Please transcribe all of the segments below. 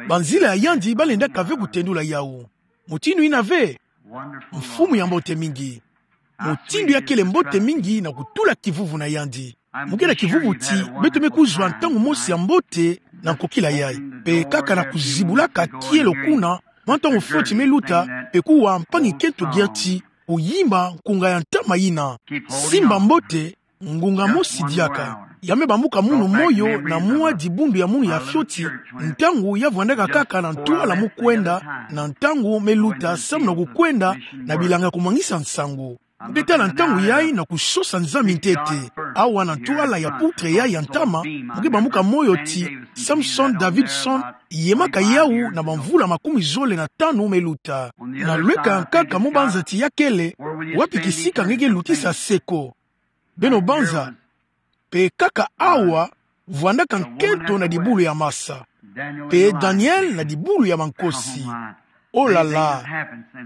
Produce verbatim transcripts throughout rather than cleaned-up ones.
Banzila ya yandi balendaka ve kutendula yawu. Mutindu yina ve, mfumu ya mbote mingi. Mutindu ya kele mbote mingi na kutula kivuvu na yandi. Mu ke na kivuvu ti beto me kuzwa ntangu mosi ya mbote na nkokila yayi. Pe kaka na kuzibulaka kielo kuna, mwa ntangu fioti me luta, pe kuwa mpangi kento Gertie, kuyimba nkunga ya ntama yina. Simba mbote, ngunga mosi diaka. Ya me bambuka munu moyo na mwa dibundu ya munu ya fioti, ntangu ya vwandaka kaka na ntwala mu kwenda, na ntangu me luta samu na kukwenda na bilanga kumwangisa nsangu. Mu ke tala ntangu yayi na kusosa Nzambi ntete. Awa na ntwala ya poutre yayi ya ntama, mu ke bambuka moyo ti Samson Davidson, yemaka yawu na bamvula makumi zole na tanu me luta. Na lweka nkaka mu banza ti ya kele, wapi kisika nge ke lutisa se ko. Beno banza, pe kaka awa, vwandaka nkento na dibulu ya masa. Pe Daniel na dibulu ya mankosi. Oh là là.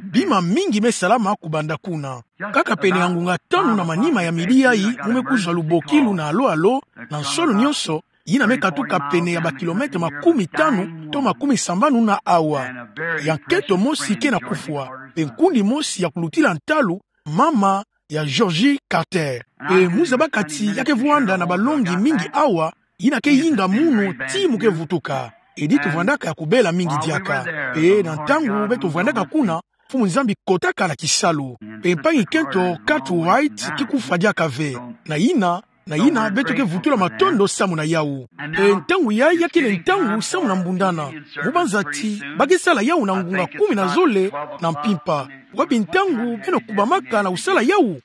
Bima mingi me salama kubanda kuna. Kaka pene ya ngunga tanu na manima ya midi yayi, mu me kuzwa lubokilu na alo-alo, na nsolo nyonso, yina me katuka pene ya bakilometre makumi tanu to makumi sambanu na awa. Ya nkento mosi ke na kufwa, pe nkundi mosi ya kulutila ntalu, mama ya Georgie Carter. Pe mu zabaka ti ya ke vwanda na balongi mingi awa, yina ke yinga munu ti mu ke vutuka. Edith vwandaka ya kubela mingi diaka. Pe na ntangu beto vwandaka kuna, Mfumu Nzambi kotaka na kisalu. Pe mpangi kento Cartwright ke kufwa diaka ve. Na yina, na yina beto ke vutula matondo samu na yawu. Pe ntangu yayi ya kele ntangu samu na mbundana. Mu banza ti ba ke sala yawu na ngunga kumi na zole na mpimpa. Wapi ntangu beno kubamaka na kusala yawu?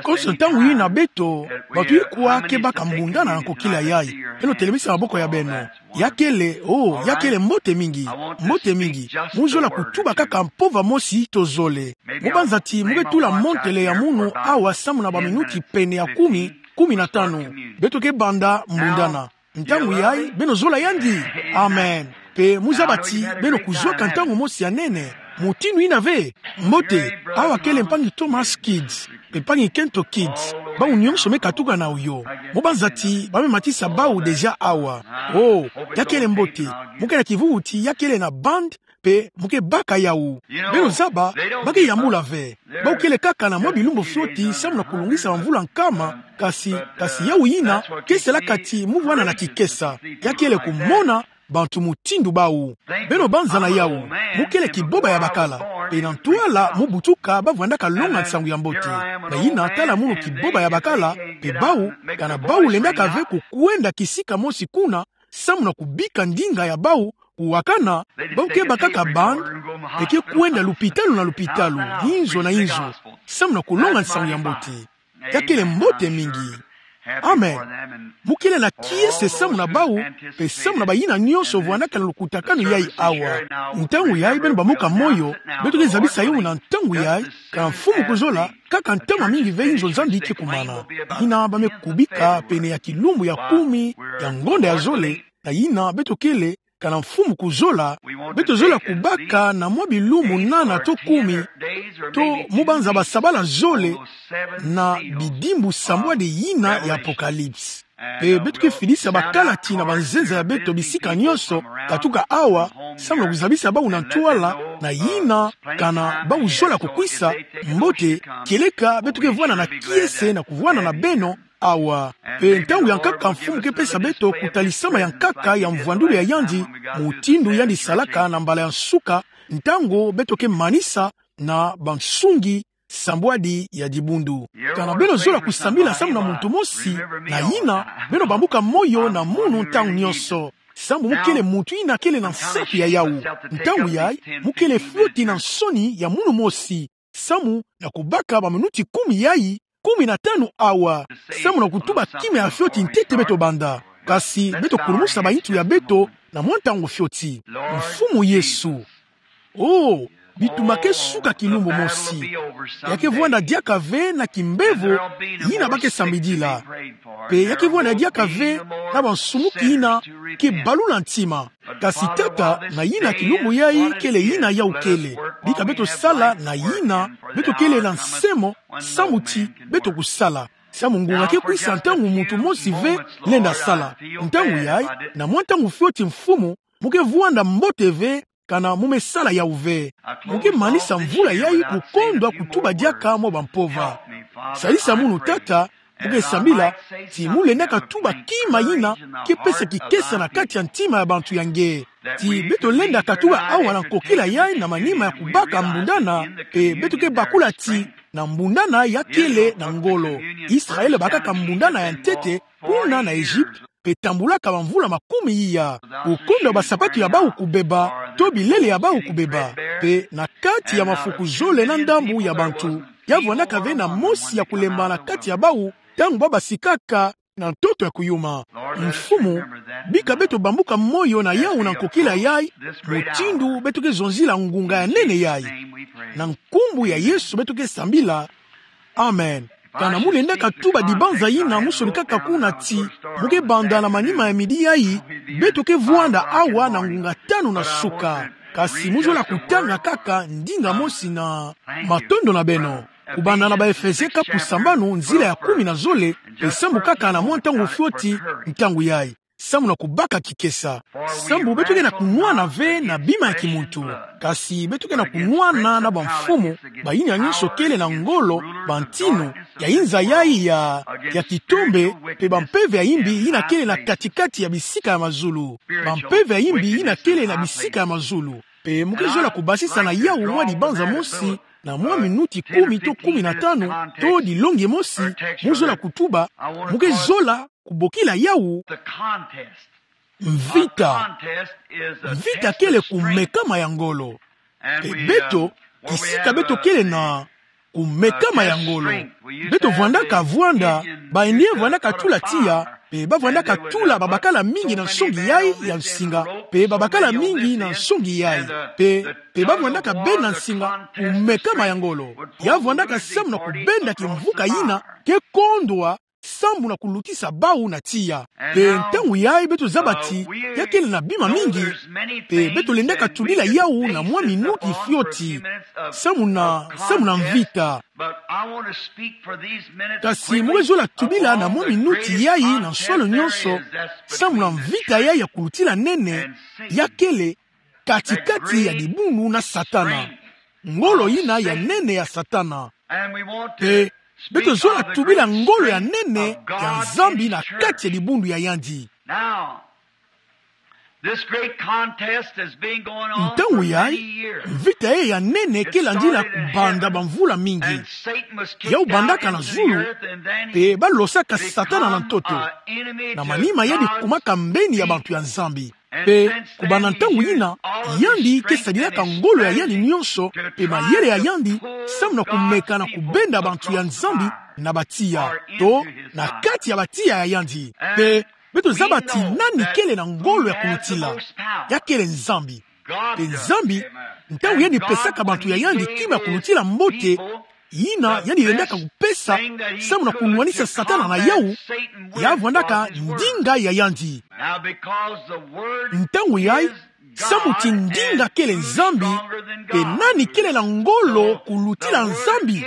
Konso ntangu yina beto, bato ikwa ke baka mbundana na nkokila yayi. Beno telemisa maboko ya beno. Ya kele, oh, ya kele mbote mingi. Mbote mingi. Mu zola kutuba kaka mpova mosi to zole. Mu banza ti mu ke tula montele ya munu awa samu na baminuti pene ya kumi, kumi na tanu. Beto ke banda mbundana. Ntangu yayi, beno zola yandi. Amen. Pe mu zaba ti beno kuzwaka ntangu mosi ya nene. Mutindu yina ve. Mbote, awa kele mpangi Thomas Kidd, pe mpangi kento Kidd. Bawu nyonso me katuka na oyo. Mu banza ti ba me matisa bawu déjà awa. Oh, ya kele mbote. Mu ke na kivuvu ti ya kele na band, pe mu ke baka yawu. Beno zaba, ba ke yambula ve. Bawu kele kaka na mwa bilumbu fioti samu na kulungisa bamvula nkama, kasi, kasi yawu yina ke salaka ti mu vwanda na kikesa. Ya kele kumona bantu mutindu bawu. Beno banza na yawu, mu kele kiboba ya bakala. Pe na ntwala mu butuka ba vwandaka longa nsangu ya mbote. Na yina tala munu kiboba ya bakala, pe bawu, kana bawu lendaka ve kukwenda kisika mosi kuna, samu na kubika ndinga ya bawu, kuwakana, bawu ke bakaka band, pe ke kwenda lupitalu na lupitalu, inzo na inzo, samu na kulonga nsangu ya mbote. Ya kele mbote mingi. Amen. Mu kele na kiese samu na bawu, pe samu na bayina nyonso vwandaka na lukutakanu yayi awa. Ntangu yayi beno bambuka moyo, beto ke zabisa yawu na ntangu yayi, kana Mfumu kuzola, kaka ntama mingi ve inzo Nzambi ke kumana. Yina ba me kubika pene ya kilumbu ya kumi ya ngonda ya zole, na yina beto kele, kana Mfumu kuzola, beto zola kubaka na mwa bilumbu nana to kumi, to mu banza basabala zole, na bidimbu sambwadi yina ya Apocalypse. Pe beto ke fidisa bakalati na banzenza ya beto bisika nyonso, katuka awa, samu na kuzabisa bawu na ntwala, na yina, kana bawu zola kukwisa, mbote, kieleka beto ke vwanda na kiese na kuvwanda na beno, awa. Pe ntangu ya nkaka Mfumu ke pesa beto kutalisama ya nkaka ya mvwandulu ya yandi, mutindu yandi salaka na mbala ya nsuka, ntangu beto ke manisa na bansungi sambwadi ya dibundu. Kana beno zola kusambila samu na muntu mosi, na yina, beno bambuka moyo na munu ntangu nyonso. Sambu mu kele muntu yina kele na nsatu ya yawu. Ntangu yayi, mu kele fioti na nsoni ya munu mosi. Samu na kubaka baminuti kumi yayi, kumi na tanu awa. Samu na kutuba kima ya fioti ntete beto banda. Kasi beto kulumusa bayintu ya beto na mwa ntangu fioti. Mfumu Yesu. Oh, bituma ke suka kilumbu mosi. Ya ke vwanda diaka ve na kimbevo yina ba ke sambidila. Pe ya ke vwanda diaka ve na bansumuki yina ke balula ntima. Kasi Tata, na yina kilumbu yayi kele yina yawu kele. Bika beto sala na yina beto kele na nsemo, samu ti beto kusala. Samu ngunga ke kwisa ntangu muntu mosi ve lenda sala. Ntangu yai, na mwa ntangu fioti mfumu, mu ke vwanda mbote ve, kana mu me sala yawu ve. Mu ke manisa mvula yai kukondwa kutuba diaka mwa bampova. Sadisa munu Tata, mu ke sambila, ti mu lenda katuba kima yina ke pesa kikesa na kati ya ntima ya bantu ya nge. Ti beto lenda katuba awa na nkokila yai na manima ya kubaka mbundana, mpe beto ke bakula ti na mbundana ya kele na ngolo. Israel bakaka mbundana ya ntete, kuna na Egypte, mpe tambulaka bamvula makumi iya. Kukondwa basapatu ya bawu kubeba, to bilele ya bawu kubeba. Mpe na kati ya mafuku zole na ndambu ya bantu, ya vwandaka ve na mosi ya kulemba na kati ya bawu, ntangu ba basikaka na ntoto ya kuyuma. Mfumu, bika beto bambuka moyo na yawu na nkokila yai, mutindu beto ke zonzila ngunga ya nene yai. Na nkumbu ya Yesu beto ke sambila. Amen. Kana mu lenda katuba dibanza yina mu sonikaka kuna ti, mu ke banda na manima ya midi yai, beto ke vwanda awa na ngunga tanu na suka. Kasi mu zola kutanga kaka ndinga mosi na matondo na beno. Kubanda na Baefese kapu sambanu nzila ya kumi na zole, mpe samu kaka na mwa ntangu fioti, ntangu yai. Samu na kubaka kikesa. Samu beto ke na kunwana ve na bima ya kimuntu. Kasi beto ke na kunwana na bamfumu, bayina nyonso kele na ngolo, bantinu, ya inza yai ya, ya kitombe, mpe bampeve ya imbi yina kele na katikati ya bisika ya mazulu. Bampeve ya imbi yina kele na bisika ya mazulu. Mpe mu ke zola kubasisa na yawu mwa dibanza mosi, na mwa minuti kumi to kumi na tanu, to dilongi mosi, mu zola kutuba, mu ke zola kubokila yawu mvita. Mvita kele kumekama ya ngolo. Mpe beto, kisika beto kele na kumekama ya ngolo. Beto vwandaka vwanda, baye ni vwandaka tula tiya, mpe ba vwandaka tula babakala mingi na nsongi yai ya nsinga, mpe babakala mingi na nsongi yai, mpe, mpe ba vwandaka benda nsinga, kumekama ya ngolo. Ya vwandaka samu na kubenda kimvuka yina, ke kondwa, samu na kulutisa bawu na tiya. Mpe ntangu yai beto zaba ti, ya kele na bima mingi, mpe beto lendaka tubila yawu na mwa minuti fioti. Samu na, samu na mvita. Kasi mu ke zola tubila na mwa minuti yai na nsolo nyonso, samu na mvita yai ya kulutila nene, ya kele katikati ya dibundu na Satana. Ngolo yina ya nene ya Satana. Mpe beto zola tubila ngolo ya nene ya Nzambi na kati ya dibundu ya yandi. Ntangu yai, mvita yai ya nene ke landila kubanda bamvula mingi. Yawu bandaka na zulu, mpe ba losaka Satana na ntoto. Na manima yandi kumaka mbeni ya bantu ya Nzambi. Mpe kubanda ntangu yina, yandi ke sadilaka ngolo ya yandi nyonso, mpe mayele ya yandi, samu na kumeka na kubenda bantu ya Nzambi na batiya, to na kati ya batiya ya yandi. Mpe beto zaba ti nani kele na ngolo ya kulutila? Ya kele Nzambi. Mpe Nzambi, ntangu yandi pesaka bantu ya yandi kima ya kulutila mbote, yina yandi lendaka kupesa, samu na kunwanisa Satana na yawu, ya vwandaka ndinga ya yandi. Ntangu yai, samu ti ndinga kele Nzambi, mpe nani kele na ngolo kulutila Nzambi?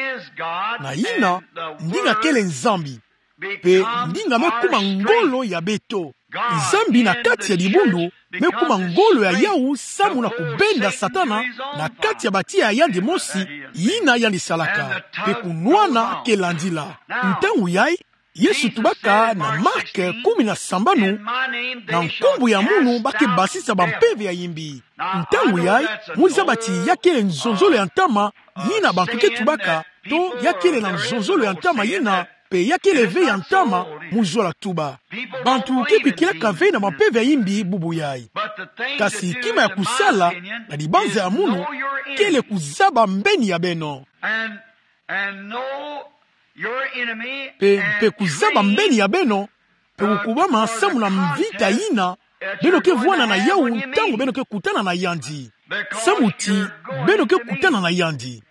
Na yina, ndinga kele Nzambi. Mpe ndinga me kuma ngolo ya beto. Nzambi na kati ya dibundu me kuma ngolo ya yawu samu na kubenda Satana na kati ya batiya ya yandi mosi, yina yandi salaka. Mpe kunwana ke landila. Ntangu yai, Yesu tubaka na Mark kumi na sambanu, na nkumbu ya munu ba ke basisa bampeve ya imbi. Ntangu yai, mu zaba ti ya kele nzonzolo ya ntama, yina bantu ke tubaka, to ya kele na nzonzolo ya ntama yina, mpe ya kele ve ya ntama, mu zola tuba. Bantu ke kwikilaka ve na bampeve ya imbi bubu yai. Kasi kima ya kusala, na dibanza ya munu, kele kuzaba mbeni ya beno. Mpe, mpe kuzaba mbeni ya beno, mpe kukubama samu na mvita yina, beno ke vwanda na yawu ntangu beno ke kutana na yandi. Samu ti, beno ke kutana na yandi.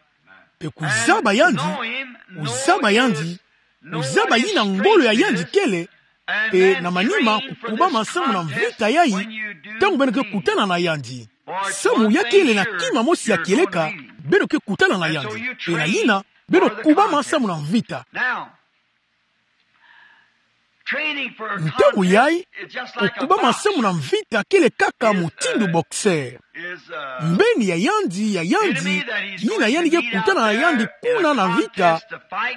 Mpe kuzaba yandi, kuzaba yandi, kuzaba yina ngolo ya yandi kele, mpe na manima kukubama samu na mvita yai, ntangu beno ke kutana na yandi. Samu ya kele na kima mosi ya kieleka, beno ke kutana na yandi. Mpe na yina, beno kubama samu na mvita. Ntangu yai, kukubama samu na mvita kele kaka mutindu boxeur. Mbeni ya yandi, ya yandi, yina yandi ke kutana na yandi kuna na mvita,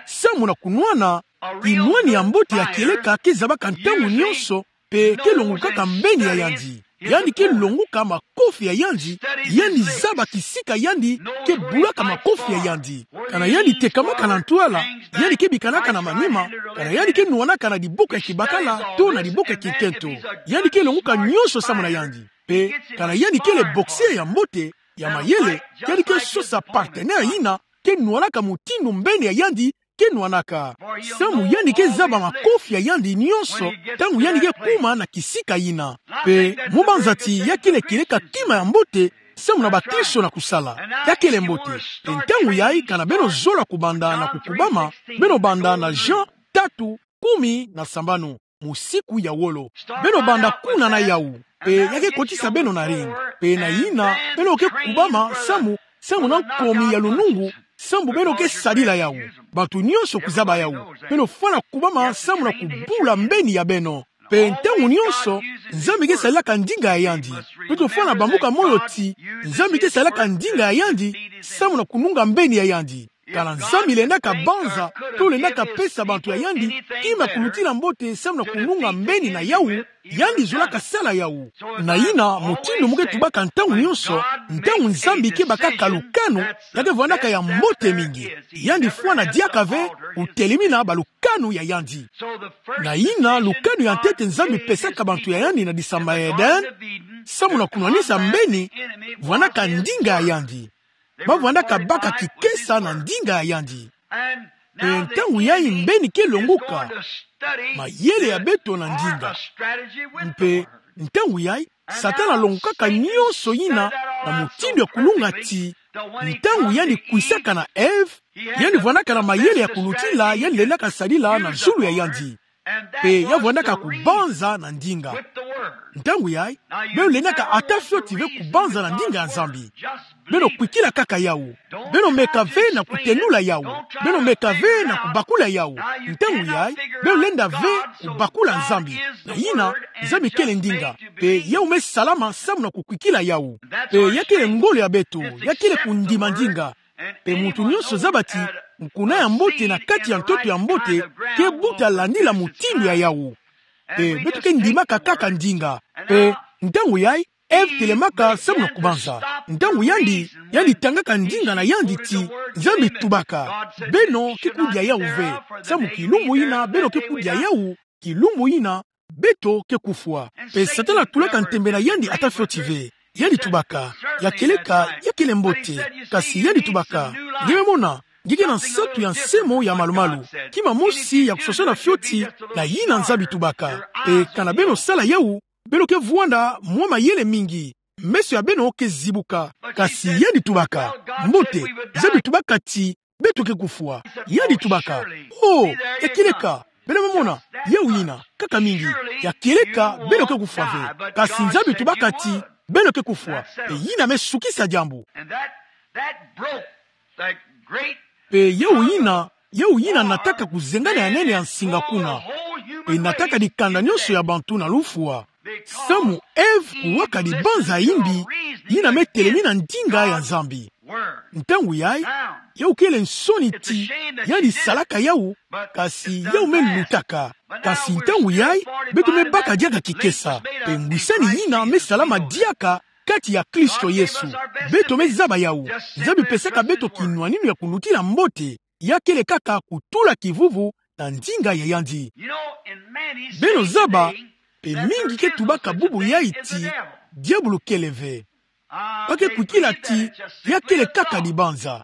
samu na kunwana, kinwani ya mbote ya kieleka ke zabaka ntangu nyonso, mpe ke longukaka mbeni ya yandi. Yandi ke longuka makofi ya yandi, yandi zaba kisika yandi ke bulaka makofi ya yandi. Kana yandi tekamaka na ntwala, yandi ke bikanaka na manima, kana yandi ke nwanaka na diboko ya kibakala, to na diboko ya kinkento. Yandi ke longuka nyonso samu na yandi. Mpe, kana yandi kele boxeur ya mbote, ya mayele, yandi ke sosa partenaire yina, ke nwanaka mutindu mbeni ya yandi, ke nwanaka. Samu yandi ke zaba makofi ya yandi nyonso, ntangu yandi ke kuma na kisika yina. Mpe, mu banza ti ya kele kieleka kima ya mbote, samu na bakristo na kusala. Ya kele mbote. Mpe ntangu yai kana beno zola kubanda na kukubama, beno banda na Jean tatu, kumi na sambanu. Musiku ya wolo. Beno banda kuna na yau. Mpe ya ke kotisa beno na ring. Mpe na yina, beno ke kubama samu, samu na nkomi ya lunungu, samu beno ke sadila yau. Bantu nyonso kuzaba yau. Beno fwana kubama samu na kubula mbeni ya beno. Mpe ntangu nyonso, Nzambi ke sadilaka ndinga ya yandi. Beto fwana bambuka moyo ti, Nzambi ke sadilaka ndinga ya yandi, samu na kununga mbeni ya yandi. Kana Nzambi lendaka banza, to lendaka pesa bantu ya yandi, kima ya kulutila mbote samu na kununga mbeni na yau, yandi zolaka sala yau. Na yina, mutindu mu ke tubaka ntangu nyonso, ntangu Nzambi ke bakaka lukanu, ya ke vwandaka ya mbote mingi. Yandi fwana diaka ve, kutelemina balukanu ya yandi. Na yina, lukanu ya ntete Nzambi pesaka bantu ya yandi na disamba ya Eden, samu na kunwanisa mbeni, vwandaka ndinga ya yandi. Ba vwandaka baka kikesa na ndinga ya yandi. Mpe ntangu yai mbeni ke longuka, mayele ya beto na ndinga. Mpe ntangu yai, Satana alongukaka nyonso yina na mutindu ya kulunga ti, ntangu yandi kwisaka na Eve, yandi vwandaka na mayele ya kulutila yandi lendaka sadila na zulu ya yandi. Mpe ya vwandaka kubanza na ndinga. Ntangu yai, beno lendaka ata fioti ve kubanza na ndinga ya Nzambi. Beno kwikila kaka yau. Beno meka ve na kutenula yau. Beno meka ve na kubakula yau. Ntangu yai, beno lenda ve kubakula Nzambi. Na yina, Nzambi kele ndinga. Mpe yau me salama samu na kukwikila yau. Mpe ya kele ngolo ya beto, ya kele kundima ndinga. Mpe muntu nyonso zaba ti, nkuna ya mbote na kati ya ntoto ya mbote, ke buta landila mutindu ya yau. Mpe beto ke ndimaka kaka ndinga. Mpe ntangu yai, Eve telemaka samu na kubanza. Ntangu yandi, yandi tangaka ndinga na yandi ti, Nzambi tubaka, beno ke kudia yau ve. Samu kilumbu yina, beno ke kudia yau, kilumbu yina, beto ke kufwa. Mpe Satana tulaka ntembe na yandi ata fioti ve. Yandi tubaka, ya kieleka, ya kele mbote. Kasi yandi tubaka, nge me mona, nge ke na nsatu ya nsemo ya malumalu. Kima mosi ya kusosa na fioti, na yina Nzambi tubaka. Mpe kana beno sala yau, beno ke vwanda mwa mayele mingi. Meso ya beno ke zibuka. Kasi yandi tubaka, mbote, Nzambi tubaka ti, beto ke kufwa. Yandi tubaka, oh, ya kieleka, beno me mona, yau yina, kaka mingi, ya kieleka, beno ke kufwa ve. Kasi Nzambi tubaka ti, beno ke kufwa. Mpe yina me sukisa diambu. Mpe yau yina, yau yina nataka kuzengana ya nene ya nsinga kuna. Mpe nataka dikanda nyonso ya bantu na lufwa. Samu Eve kuwaka dibanza ya imbi, yina me telemina ndinga ya Nzambi. Ntangu yai, yau kele nsoni ti, yandi salaka yau, kasi yau me lutaka. Kasi ntangu yai, beto me baka diaka kikesa. Mpe ngwisani yina me salama diaka kati ya Kristo Yesu. Beto me zaba yau. Nzambi pesaka beto kinwaninu ya kulutila mbote. Ya kele kaka kutula kivuvu na ndinga ya yandi. Beno zaba, mpe mingi ke tubaka bubu yai ti, diabulu kele ve. Ba ke kwikila ti, ya kele kaka dibanza.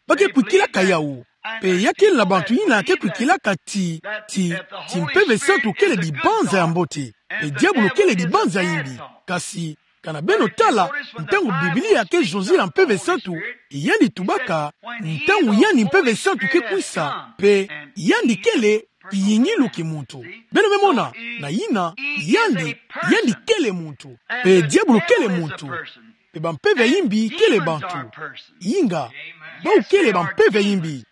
Ba ke kwikilaka yau. Mpe ya kele na bantu yina ke kwikilaka ti, ti, ti Mpeve Santu kele dibanza ya mbote. Mpe diabulu kele dibanza ya imbi. Kasi, kana beno tala, ntangu Biblia ke zonzila Mpeve Santu, yandi tubaka, ntangu yandi Mpeve Santu ke kwisa, mpe yandi kele kiyingilu ki muntu. Beno me mona, na yina, yandi, yandi kele muntu. Mpe diabulu kele muntu. Mpe bampeve ya imbi kele bantu. Inga, bau kele bampeve ya imbi.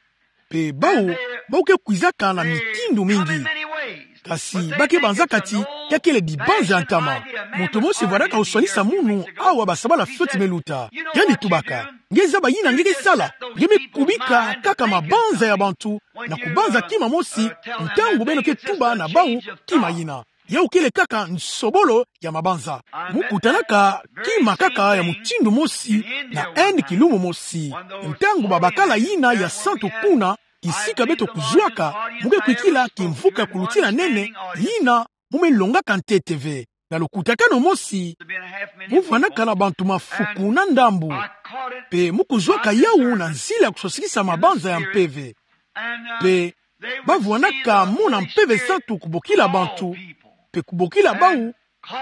Mpe bau, bau ke kwizaka na mitindu mingi. Kasi ba ke banzaka ti ya kele dibanza ya ntama. Muntu mosi vwandaka oswanisa munu awa basabala fioti me luta. Yandi tubaka: Nge zaba yina nge ke sala? Nge me kubika kaka mabanza ya bantu na kubanza kima mosi ntangu beno ke tuba na bau kima yina. Yawu kele kaka nsobolo ya mabanza. Mu kutanaka kima kaka ya mutindu mosi na Inde kilumbu mosi. Ntangu babakala yina ya santu kuna, kisika beto kuzwaka, mu ke kwikila kimvuka kulutina nene, yina mu me longaka ntete ve. Na lukutakanu mosi, mu vwandaka na bantu mafuku na ndambu. Pe mu kuzwaka yawu na nzila ya kuswasikisa mabanza ya mpeve. Pe ba vwandaka mona Mpeve Santu kubokila bantu, pe kubokila bau,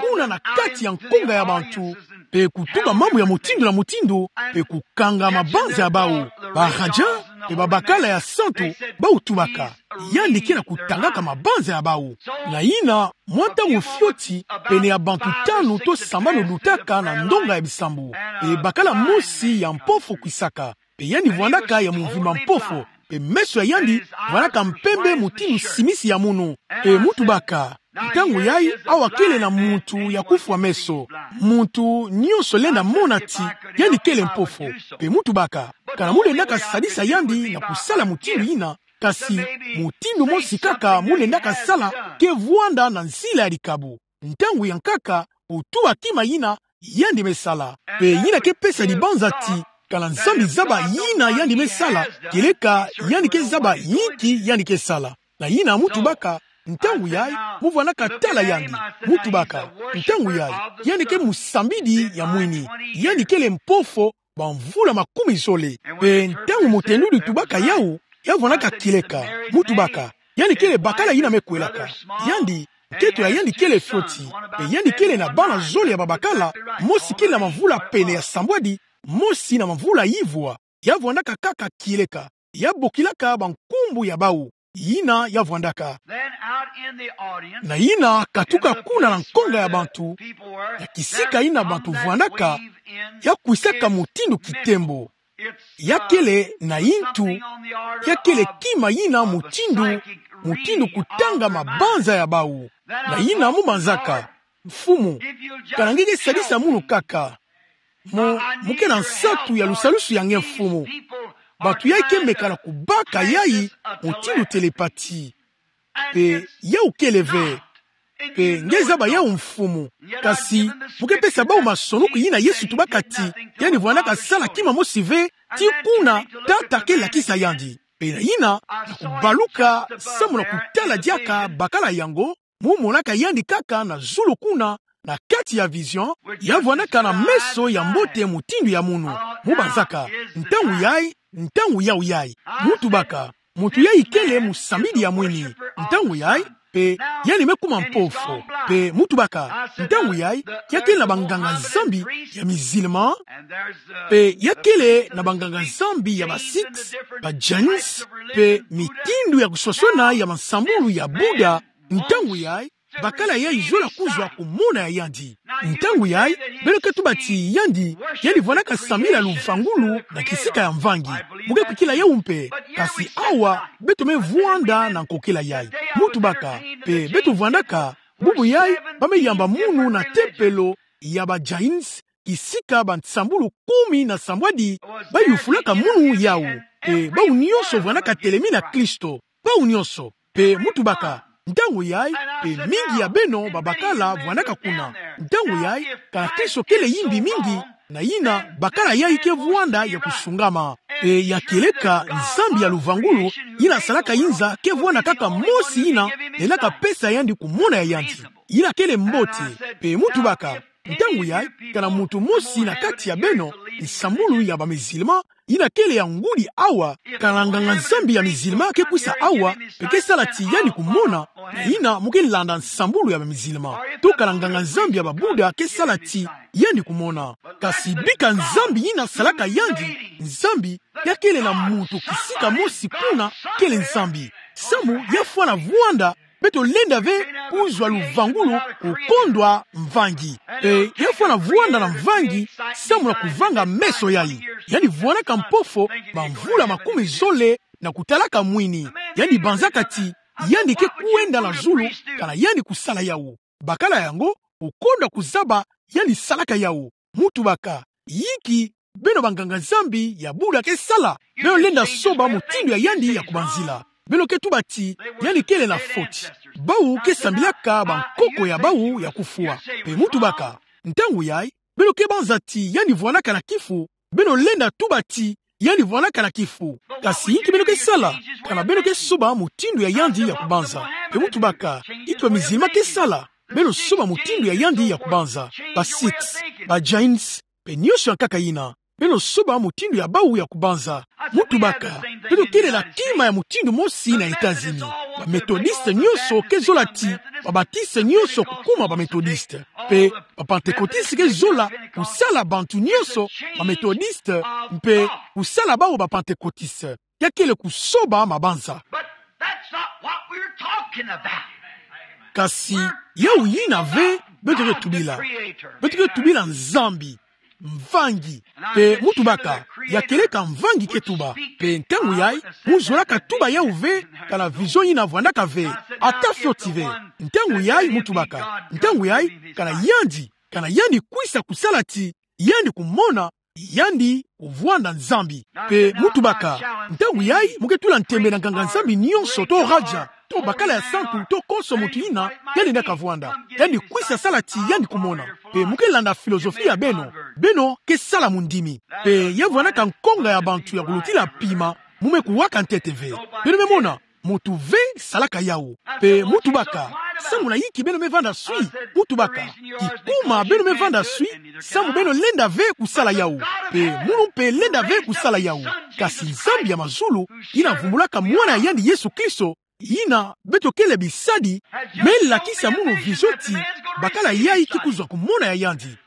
kuna na kati ya nkunga ya bantu, pe kutuba mambu ya mutindu na mutindu, pe kukanga mabanza ya bau. Ba Raja pe babakala ya santu, bau tubaka: Yandi ke na kutangaka mabanza ya bau. Na yina, mwa ntangu fioti, pene ya bantu tanu to sambanu lutaka na ndonga ya bisambu. Pe bakala mosi ya mpofo kwisaka. Pe yandi vwandaka ya mvimba mpofo. Pe meso ya yandi vwandaka mpembe mutindu simisi ya munu. Pe mu tubaka: Ntangu yayi, awa kele na muntu ya kufwa meso. Muntu nyonso lenda mona ti yandi kele mpofo. Pe mu tubaka: Kana mu lendaka sadisa yandi na kusala mutindu yina, kasi mutindu mosi kaka mu lendaka sala ke vwanda na nzila ya likabu. Ntangu ya nkaka, otuba kima yina yandi me sala. Pe yina ke pesa dibanza ti, kana Nzambi zaba yina yandi me sala, kieleka yandi ke zaba yinki yandi ke sala. Na yina mu tubaka: Ntangu yayi, mu vwandaka tala yandi. Mu tubaka: Ntangu yayi, yandi ke musambidi ya mwini. Yandi kele mpofo bamvula makumi zole. Pe ntangu mutendudi tubaka yawu, ya vwandaka kieleka. Mu tubaka: Yandi kele bakala yina me kwelaka. Yandi, nketo ya yandi kele fioti. Pe yandi kele na bana zole ya babakala, mosi kele na mavula pene ya sambwadi, mosi na mavula yivwa. Ya vwandaka kaka kieleka. Ya bokilaka bankumbu ya bau. Yina ya vwandaka. Na yina katuka kuna na nkonga ya bantu, na kisika yina bantu vwandaka, ya kwisaka mutindu kitembo. Ya kele na yintu, ya kele kima yina mutindu, mutindu kutanga mabanza ya bau. Na yina mu banzaka: Mfumu, kana nge ke sadisa munu kaka. Mu, mu ke na nsatu ya lusalusu ya nge, Mfumu. Bantu yayi ke meka na kubaka yayi mutindu telepati. Pe yawu kele ve. Pe nge zaba yawu, Mfumu. Kasi mu ke pesa bau masonoku yina Yesu tubaka ti yandi vwandaka sala kima mosi ve, ti kuna Tata ke lakisa yandi. Pe na yina, na kubaluka samu na kutala diaka bakala yango, mu monaka yandi kaka na zulu kuna, na kati ya vision, ya vwandaka na meso ya mbote mutindu ya munu. Mu banzaka: Ntangu yayi, ntangu yawu yayi. Mu tubaka: Muntu yayi kele musambidi ya mwini. Ntangu yayi, pe yandi me kuma mpofo. Pe mu tubaka: Ntangu yayi, ya kele na banganga-Nzambi ya musulman, pe ya kele na banganga-Nzambi ya ba Sikhs, ba Jains, pe mitindu ya kuswaswana ya mansambulu ya Bouddha. Ntangu yayi, bakala yayi zola kuzwa ku mona ya yandi. Ntangu yayi, beno ke tuba ti yandi, yandi vwandaka sambila luvangulu na kisika ya mvangi. Mu ke kwikila yawu mpe, kasi awa, beto me vwanda na nkokila yayi. Mu tubaka, pe beto vwandaka, bubu yayi, ba me yamba munu na tempelo ya ba Jains, kisika bansambulu kumi na sambwadi ba yufulaka munu yawu. Pe bau nyonso vwandaka telemi na Kristo. Bau nyonso. Pe mu tubaka: Ntangu yayi, pe mingi ya beno babakala vwandaka kuna. Ntangu yayi, kana Kristo kele yimbi mingi, na yina bakala yayi ke vwanda ya kusungama. Pe ya kieleka Nzambi ya luvangulu, yina salaka inza, ke vwanda kaka mosi yina lendaka pesa yandi ku mona ya yandi. Yina kele mbote. Pe mu tubaka: Ntangu yayi, kana muntu mosi na kati ya beno, nsambulu ya ba musulman, yina kele ya ngudi awa, kana nganga-Nzambi ya musulman ke kwisa awa, pe ke sala ti yandi kumona, na yina mu ke landa nsambulu ya ba musulman. To kana nganga-Nzambi ya ba Bouddha ke sala ti yandi kumona. Kasi bika Nzambi yina salaka yandi, Nzambi, ya kele na muntu kisika mosi kuna, kele Nzambi. Samu ya fwana vwanda, beto lenda ve kuzwa luvangulu kukondwa mvangi. Pe ya fwana vwanda na mvangi, samu na kuvanga meso yayi. Yandi vwandaka mpofo bamvula makumi zole na kutalaka mwini. Yandi banzaka ti yandi ke kwenda na zulu, kana yandi kusala yawu. Bakala yango, okonda kuzaba yandi salaka yawu. Mu tubaka, yinki beno banganga-Nzambi ya Bouddha ke sala? Beno lenda soba mutindu ya yandi ya kubanzila. Beno ke tuba ti yandi kele na foti. Bawu ke sambilaka bankoko ya bawu ya kufwa. Mpe mu tubaka, ntangu yayi, beno ke banza ti yandi vwanaka na kifu, beno lenda tuba ti yandi vwanaka na kifu. Kasi yinki beno ke sala, kana beno ke soba mutindu ya yandi ya kubanza? Mpe mu tubaka, yinki ba musulman ke sala, beno soba mutindu ya yandi ya kubanza. Ba Sikhs, ba Jains, mpe nyonso ya nkaka yina, beno soba mutindu ya bawu ya kubanza. Mu tubaka, beno kele na kima ya mutindu mosi na États-Unis. Ba Methodistes nyonso ke zola ti ba Baptistes nyonso kukuma ba Methodistes. Mpe ba Pentecôtistes ke zola kusala bantu nyonso ba Methodistes, mpe kusala bawu ba Pentecôtistes. Ya kele kusoba mabanza. But that's not what we're talking about. Kasi yawu yina ve beto ke tubila. Beto ke tubila Nzambi, Mvangi. Mpe mu tubaka, ya kieleka Mvangi ke tuba. Mpe ntangu yayi, mu zolaka tuba yawu ve, kana vision yina vwandaka ve, ata fioti ve. Ntangu yayi mu tubaka, ntangu yayi, kana yandi, kana yandi kwisa kusala ti yandi kumona, yandi kuvwanda Nzambi. Mpe mu tubaka, ntangu yayi mu ke tula ntembe na nganga-Nzambi nyonso to Raja, to bakala ya santu, to konso muntu yina, yandi na kavwanda. Yandi kwisa sala ti yandi kumona. Mpe mu ke landa philosophie ya beno, beno ke sala mundimi. Mpe ya vwandaka nkonga ya bantu ya kulutila pima, mu me kuwaka ntete ve. Beno me mona, muntu ve salaka yawu. Mpe mu tubaka, samu na yinki beno me vanda swi? Mu tubaka, kikuma beno me vanda swi, samu beno lenda ve kusala yawu. Mpe munu mpe lenda ve kusala yawu. Kasi Nzambi ya mazulu, yina vumbulaka Mwana ya yandi Yesu Kristo, yina beto kele bisadi, me lakisa munu vision ti bakala yayi ke kuzwa kumona ya yandi.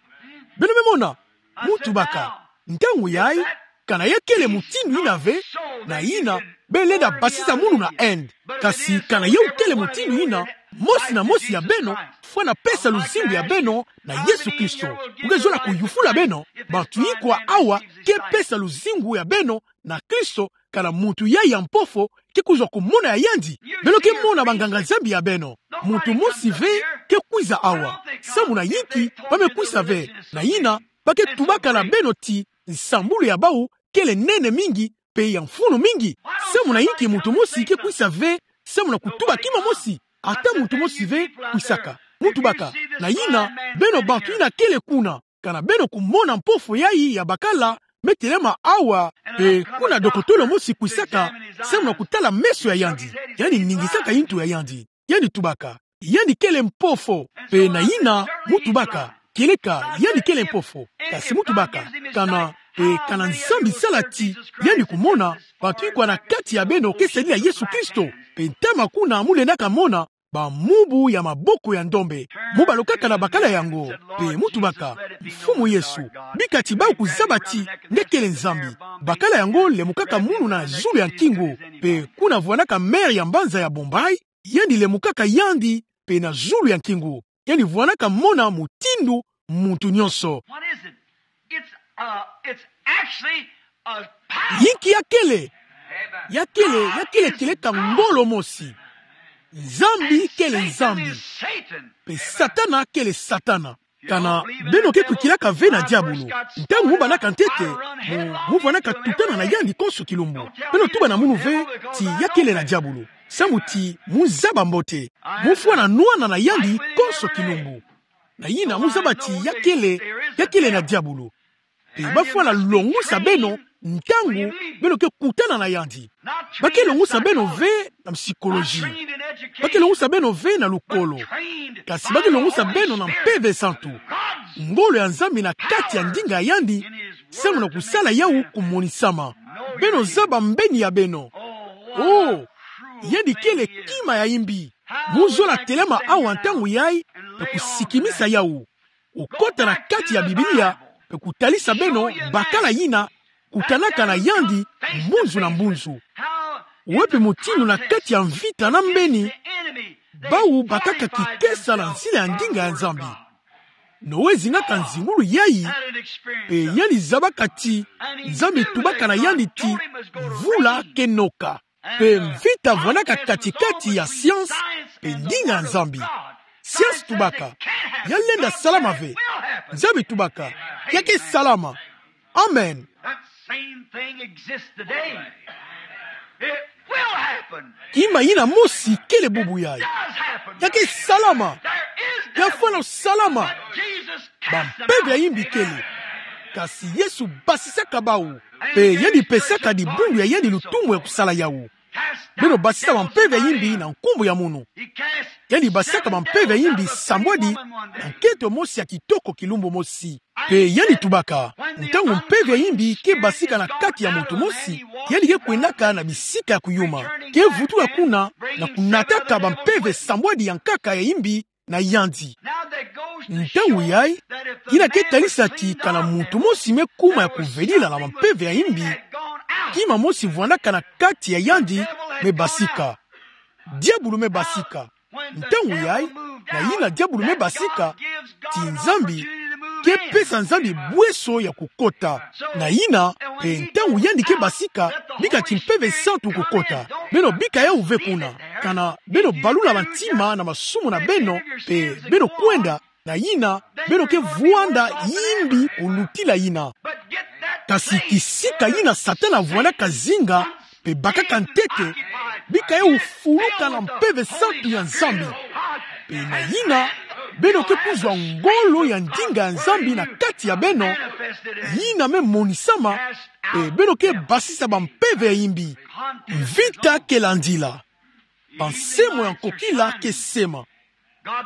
Beno me mona, mu tubaka, ntangu yayi, kana ya kele mutindu yina ve, na yina, beno lenda basisa munu na Inde. Kasi kana yawu kele mutindu yina, mosi na mosi ya beno fwana pesa luzingu ya beno na Yesu Kristo. Mu ke zola kuyufula beno, bantu ikwa awa ke pesa luzingu ya beno na Kristo, kana muntu yayi ya mposo ke kuzwa kumona ya yandi? Beno ke mona banganga-Nzambi ya beno. Muntu mosi ve ke kwiza awa. Samu na yinki ba me kwisa ve? Na yina, ba ke tubaka na beno ti nsambulu ya bawu kele nene mingi, mpe ya mfunu mingi. Samu na yinki muntu mosi ke kwisa ve? Samu na kutuba kima mosi. Ata muntu mosi ve kwisaka. Mu tubaka, na yina, beno bantu yina kele kuna, kana beno kumona mposo yayi ya bakala me telema awa, mpe kuna dokotolo mosi kwisaka, samu na kutala meso ya yandi. Yandi ningisaka yintu ya yandi. Yandi tubaka, yandi kele mposo. Mpe na yina, mu tubaka, kieleka yandi kele mposo. Kasi mu tubaka, kana, mpe kana Nzambi sala ti yandi kumona, bantu ikwa na kati ya beno ke sadila Yesu Kristo. Mpe ntama kuna mu lendaka mona bamubu ya maboko ya ndombe. Mu balukaka na bakala yango, mpe mu tubaka, Mfumu Yesu, bika ti bawu kuzaba ti nge kele Nzambi. Bakala yango lemukaka munu na zulu ya nkingu, mpe kuna vwandaka maire ya mbanza ya Bombay, yandi lemukaka yandi mpe na zulu ya nkingu. Yandi vwandaka mona mutindu muntu nyonso. What is it? It's, uh, it's actually a power. Yinki ya kele? Ya kele, ya kele kieleka ngolo mosi. Nzambi kele Nzambi. Satan is Satan. Mpe Satana kele Satana. Kana beno ke kwikilaka ve na diabulu? Ntangu mu bandaka ntete, mu, mu vwandaka tutana na yandi konso kilumbu. Beno tuba na munu ve ti ya kele na diabulu. Samu ti mu zaba mbote, mu fwana nwana na yandi konso kilumbu. Na yina mu zaba ti ya kele, ya kele na diabulu. Mpe ba fwana longusa beno ntangu beno ke kutana na yandi. Ba ke longusa beno ve na psychologie. Ba ke longusa beno ve na lukolo. Kasi ba ke longusa beno na Mpeve Santu. Ngolo ya Nzambi na kati ya ndinga ya yandi, samu na kusala yawu kumonisama. Beno zaba mbeni ya beno. Oh, yandi kele kima ya imbi. Mu zola telema awa ntangu yayi, mpe kusikimisa yawu. Okota na kati ya Biblia, mpe kutalisa beno bakala yina kutanaka na yandi mbunzu na mbunzu. Wapi mutindu na kati ya mvita na mbeni, bawu bakaka kikesa na nzila ya ndinga ya Nzambi. Noe zingaka nzingulu yayi, mpe yandi zabaka ti Nzambi tubaka na yandi ti mvula ke noka. Pe mvita vwandaka kati-kati ya science pe ndinga ya Nzambi. Science tubaka ya lenda salama ve. Nzambi tubaka ya ke salama. Amen. That same thing exists today. It will happen. Kima yina mosi kele bubu yayi. Does happen. Ya ke salama. There is devil. Ya fwana salama. But Jesus cast them out. Bampeve ya yimbi kele. Kasi Yesu basisaka bawu. Pe yandi pesaka dibundu ya yandi lutumu ya kusala yawu. Beno basisa bampeve ya yimbi na nkumbu ya mono. Yandi basisaka bampeve ya yimbi sambwadi na nkento mosi ya kitoko kilumbu mosi. Pe yandi tubaka, ntangu mpeve ya yimbi ke basika na kati ya muntu mosi, yandi ke kwendaka na bisika ya kuyuma. Ke vutuka kuna na kunataka bampeve sambwadi ya nkaka ya yimbi na yandi. Ntangu yayi, yina ke talisa ti kana muntu mosi me kuma ya kuvedila na bampeve ya yimbi, kima mosi vwandaka na kati ya yandi me basika. Diabulu me basika. Ntangu yayi, na yina diabulu me basika, ti Nzambi ke pesa Nzambi bweso ya kukota. Na yina, pe ntangu yandi ke basika, bika ti Mpeve Santu kukota. Beno bika yawu ve kuna. Kana beno balula bantima na masumu na beno, pe beno kwenda, na yina, beno ke vwanda yimbi kulutila yina. Kasi kisika yina Satana vwandaka zinga, pe bakaka ntete, bika yawu fuluka na Mpeve Santu ya Nzambi. Pe na yina, beno ke kuzwa ngolo ya ndinga ya Nzambi na kati ya beno, yina me monisama, pe beno ke basisa bampeve ya yimbi. Mvita ke landila. Bansemo ya nkokila ke sema.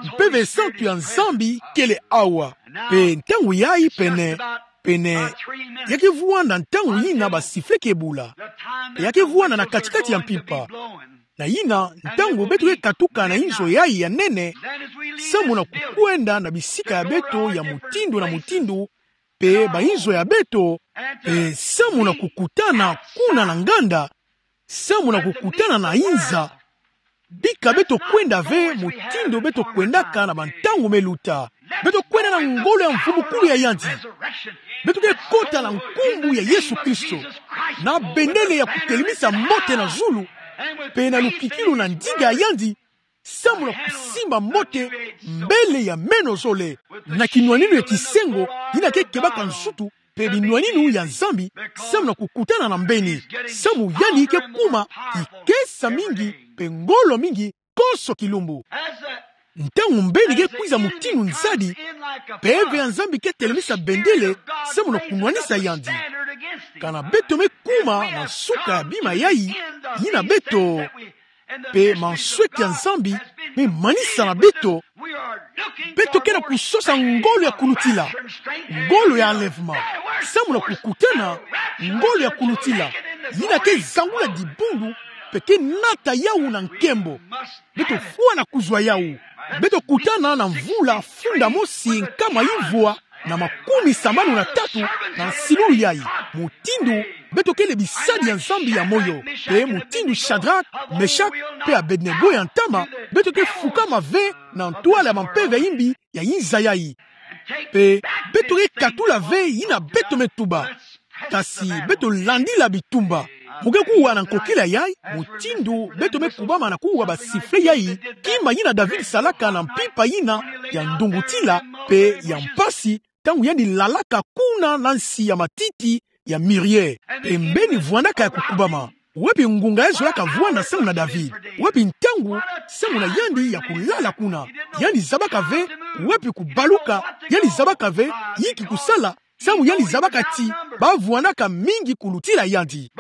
Mpeve Santu ya Nzambi kele awa. Pe ntangu yayi pene, pene, ya ke vwanda ntangu yina basifle ke bula. Pe ya ke vwanda na kati-kati ya mpimpa. Na yina, ntangu beto ke katuka na inzo yayi ya nene, samu na kukwenda na bisika ya beto ya mutindu na mutindu, pe bainzo ya beto, pe samu na kukutana kuna na nganda, samu na kukutana na inza, bika beto kwenda ve mutindu beto kwendaka na bantangu me luta. Beto kwenda na ngolo ya mvumbukulu ya yandi. Beto ke kota na nkumbu ya Yesu Kristo, na bendele ya kutelemisa mbote na zulu, pe na lukikilu na ndinga ya yandi, samu na kusimba mbote mbele ya meno zole, na kinwaninu ya kisengo, yina ke kebaka nsutu, pe binwaninu ya Nzambi, samu na kukutana na mbeni, samu yandi ke kuma kikesa mingi, pe ngolo mingi, konso kilumbu. Ntangu mbeni ke kwiza mutindu nzadi, Mpeve ya Nzambi ke telemisa bendele, samu na kunwanisa yandi. Kana beto me kuma na nsuka ya bima yayi, yina beto, pe mansweki ya Nzambi me manisa na beto, beto ke na kusosa ngolo ya kulutila, ngolo ya enlèvement, samu na kukutana, ngolo ya kulutila, yina ke zangula dibundu, pe ke nata yawu na nkembo. Beto fwana kuzwa yawu. Beto kutana na mvula funda mosi nkama ivwa na makumi sambanu na tatu na nsilulu yayi. Mutindu beto kele bisadi ya Nzambi ya moyo, pe mutindu Shadrach, Meshach, pe Abednego ya ntama, beto ke fukama ve na ntwala ya bampeve ya imbi ya inza yayi. Pe beto ke katula ve yina beto me tuba. Kasi beto landila bitumba. Mu ke kuwa na nkokila yayi, mutindu beto me kubama na kuwa basifle yayi, kima yina David salaka na mpimpa yina ya ndungutila pe ya mpasi, ntangu yandi lalaka kuna na nsi ya matiti ya mirie. Pe mbeni vwandaka ya kukubama. Wapi ngunga ya zolaka vwanda samu na David? Wapi ntangu samu na yandi ya kulala kuna? Yandi zabaka ve wapi kubaluka, yandi zabaka ve inki kusala, samu yandi zabaka ti bavwandaka mingi kulutila yandi.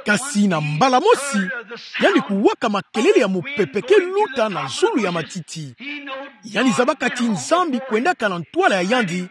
Kasi na mbala mosi, yandi kuwaka makelele ya mupepe ke luta na zulu ya matiti. Yandi zabaka ti Nzambi kwendaka na ntwala ya yandi,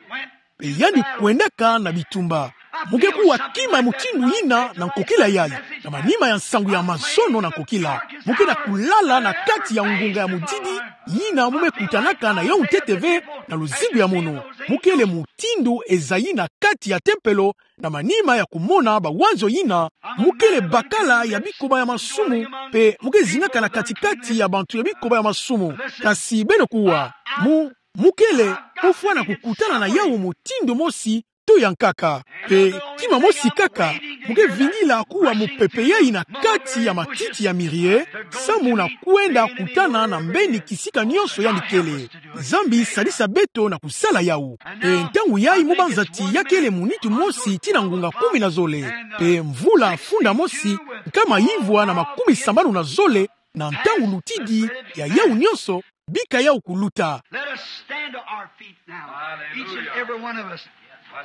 pe yandi kwendaka na bitumba. Mu ke kuwa kima ya mutindu yina na nkokila yayi, na manima ya nsangu ya mazono na nkokila. Mu ke na kulala na kati ya ngunga ya mudidi, yina mu me kutanaka na yawu ntete ve na luzingu ya mono. Mu kele mutindu ezayi na kati ya tempelo, na manima ya kumona bawanzo yina, mu kele bakala ya bikoba ya masumu, pe mu ke zingaka na kati-kati ya bantu ya bikoba ya masumu. Kasi beno kuwa, mu, mu kele, mu fwana kukutana na yawu mutindu mosi, to ya nkaka. Pe kima mosi kaka, mu ke vingila kuwa mupepe yai na kati ya matiti ya mirie, samu na kwenda kutana na mbeni kisika nionso yandi kele. Nzambi salisa beto na kusala yawu. Pe ntangu yai mu banza ti ya kele munitu mosi tii na ngunga kumi na zole. Pe mvula funda mosi, nkama ivwa na makumi sambanu na zole, na ntangu lutidi ya yawu nionso, bika yawu kuluta. Let us stand to our feet now, each and every one of us.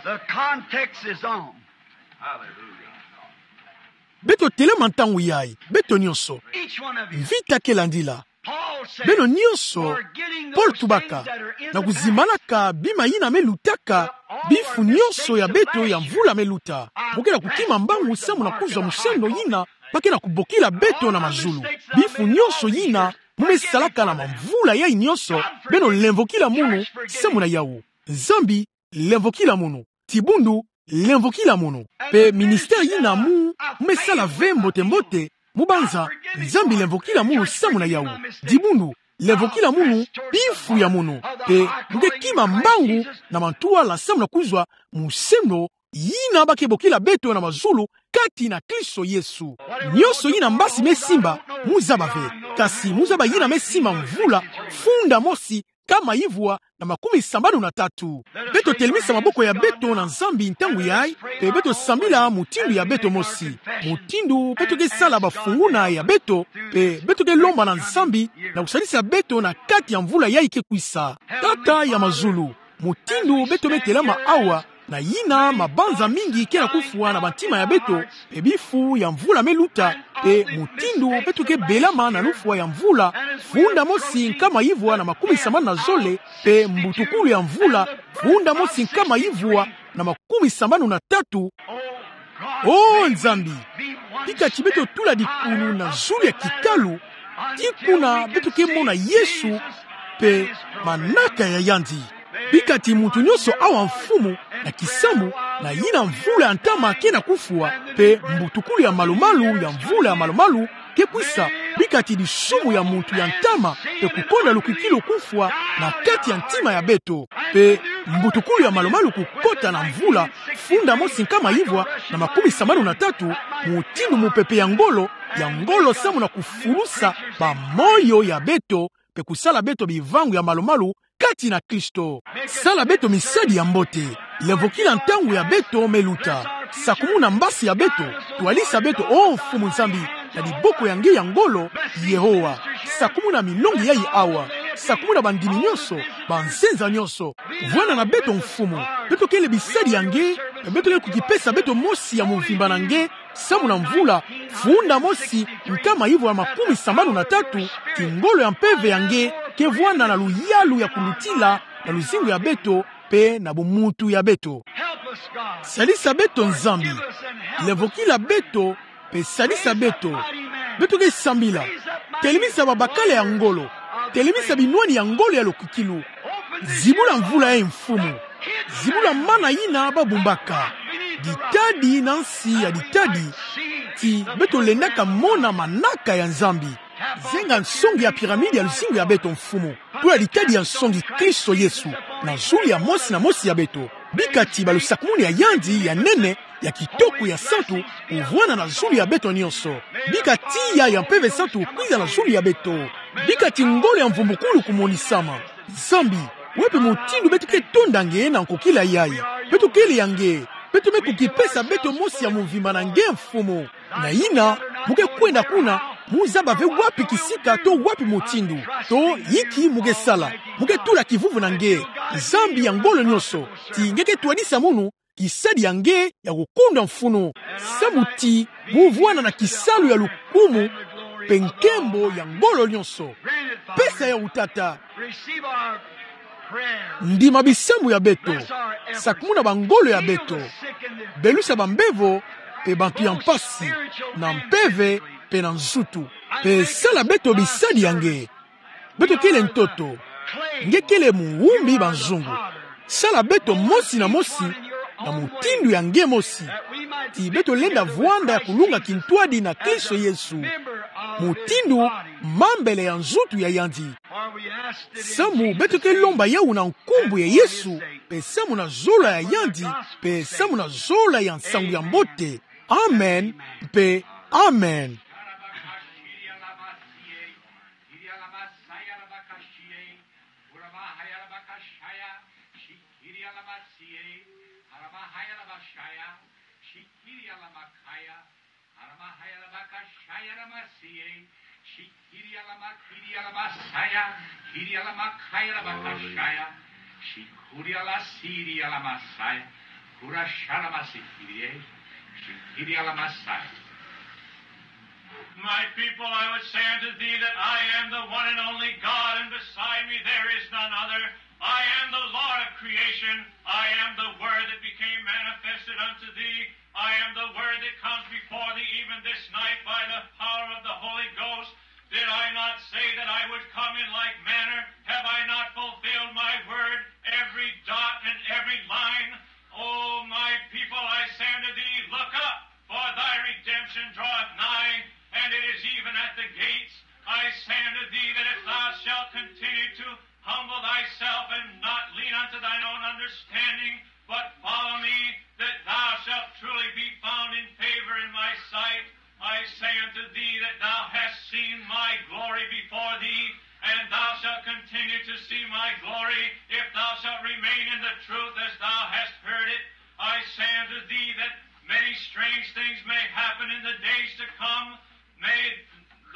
The context is on. Beto telama ntangu yai, beto nionso. Each one of you. Mvita ke landila. Paul said, beno nionso, forgetting those things that are in the past. Paul tubaka, na kuzimbalaka bima yina me lutaka, bifu nionso ya beto ya mvula me luta. Mu ke na kukima mbangu samu na kuzwa musendo yina ba ke na kubokila beto na mazulu. Bifu nionso yina mu me salaka na mamvula yai nionso, beno lemvokila munu samu na yawu. Nzambi, lemvokila munu. Dibundu, lemvokila munu. Pe ministère yina mu, mu me sala ve mbote-mbote, mu banza, Nzambi lemvokila munu samu na yawu. Dibundu, lemvokila munu bifu ya munu. Pe mu ke kima mbangu na mantwala samu na kuzwa musendo yina ba ke bokila beto na mazulu kati na Kristo Yesu. Nionso yina mbasi me simba, mu zaba ve. Kasi mu zaba yina me simba mvula funda mosi, nkama ivwa na makumi sambanu na tatu. Beto telemisa maboko ya beto na Nzambi ntangu yai, pe beto sambila mutindu ya beto mosi. Mutindu beto ke sala bafunguna ya beto, pe beto ke lomba na Nzambi na kusalisa beto na kati ya mvula yai ke kwisa. Tata ya mazulu, mutindu beto me telama awa, na yina mabanza mingi ke na kufwa na bantima ya beto, pe bifu ya mvula me luta, pe mutindu beto ke belama na lufwa ya mvula funda mosi nkama ivwa na makumi sambanu na zole, pe mbutukulu ya mvula funda mosi nkama ivwa na makumi sambanu na tatu. O Nzambi, bika ti beto tula dikulu na zulu ya kikalu, tii kuna beto ke mona Yesu, pe manaka ya yandi. Bika ti muntu nionso awa, Mfumu, na kisambu, na yina mvula ya ntama ke na kufwa, pe mbutukulu ya malumalu ya mvula ya malumalu ke kwisa, bika ti disumu ya muntu ya ntama, pe kukonda lukwikilu kufwa na kati ya ntima ya beto, pe mbutukulu ya malumalu kukota na mvula funda mosi nkama ivwa na makumi sambanu na tatu, mutindu mupepe ya ngolo, ya ngolo samu na kufulusa bamoyo ya beto, pe kusala beto bivangu ya malumalu kati na Kristo. Sala beto misadi ya mbote. Lemvokila ntangu ya beto me luta. Sakumuna mbasi ya beto. Twalisa beto, o Mfumu Nzambi, na diboko ya nge ya ngolo, Yehova. Sakumuna milongi yai awa. Sakumuna bandimi nionso, banzenza nionso. Vwanda na beto, Mfumu. Beto kele bisadi ya nge, beto kele kukipesa beto mosi ya mvimba na nge, samu na mvula funda mosi nkama ivwa makumi sambanu na tatu, ti ngolo ya mpeve ya nge ke vwanda na luyalu ya kulutila na luzingu ya beto, pe na bumuntu ya beto. Salisa beto, Nzambi. Lemvokila beto, pe salisa beto. Beto ke sambila. Telemisa babakala ya ngolo. Telemisa binwani ya ngolo ya lukwikilu. Zibula mvula yai, Mfumu. Zibula mana yina babumbaka. Ditadi na nsi ya ditadi. Ti beto lendaka mona manaka ya Nzambi. Zenga nsongi ya pyramide ya luzingu ya beto, Mfumu. Tula ditadi ya nsongi Kristo Yesu na zulu ya mosi na mosi ya beto. Bika ti balusakumunu ya yandi ya nene, ya kitoko, ya santu, kuvwanda na zulu ya beto nionso. Bika tiya ya Mpeve Santu kwiza na zulu ya beto. Bika ti ngolo ya mvumbukulu kumonisama. Nzambi, wapi mutindu beto ke tonda nge na nkokila yai? Beto kele ya nge. Beto me kukipesa beto mosi ya mvimba na nge, Mfumu. Na yina, mu ke kwenda kuna, mu zaba ve wapi kisika to wapi mutindu, to inki mu ke sala. Mu ke tula kivuvu na nge, Nzambi ya ngolo nionso, ti nge ke twadisa munu kisadi ya nge ya kukunda mfunu. Samu ti mu vwanda na kisalu ya lukumu mpe nkembo ya ngolo nionso. Pesa yawu, Tata. Ndima bisambu ya beto. Sakumuna bangolo ya beto. Belusa bambevo mpe bantu ya mpasi, na mpeve mpe na nzutu. Mpe sala beto bisadi ya nge. Beto kele ntoto. Nge kele muwumbi banzungu. Sala beto mosi na mosi na mutindu ya nge mosi, ti beto lenda vwanda ya kulunga kintwadi na Kristo Yesu. mutindu mambele ya nzutu ya yandi. Samu beto ke lomba yawu na nkumbu ya Yesu, pe samu na zola ya yandi, pe samu na zola ya nsangu ya mbote. Amen, pe amen. Aramahaya la bakashaya la masiye. Shikiri la makiri la masaya. Kiri la makaya la bakashaya. Shikuri la siri la masaya. Kurasha la masikiri. Shikiri la masaya. My people, I would say unto thee that I am the one and only God, and beside me there is none other. I am the Lord of creation. I am the Word that became manifested unto thee. I am the Word that comes before thee even this night by the power of the Holy Ghost. Did I not say that I would come in like manner? Have I not fulfilled my word, every dot and every line? O my people, I say unto thee, look up, for thy redemption draweth nigh, and it is even at the gates. I say unto thee that if thou shalt continue to humble thyself and not lean unto thine own understanding, but follow me, that thou shalt truly be found in favor in my sight. I say unto thee that thou hast seen my glory before thee, and thou shalt continue to see my glory, if thou shalt remain in the truth as thou hast heard it. I say unto thee that many strange things may happen in the days to come. May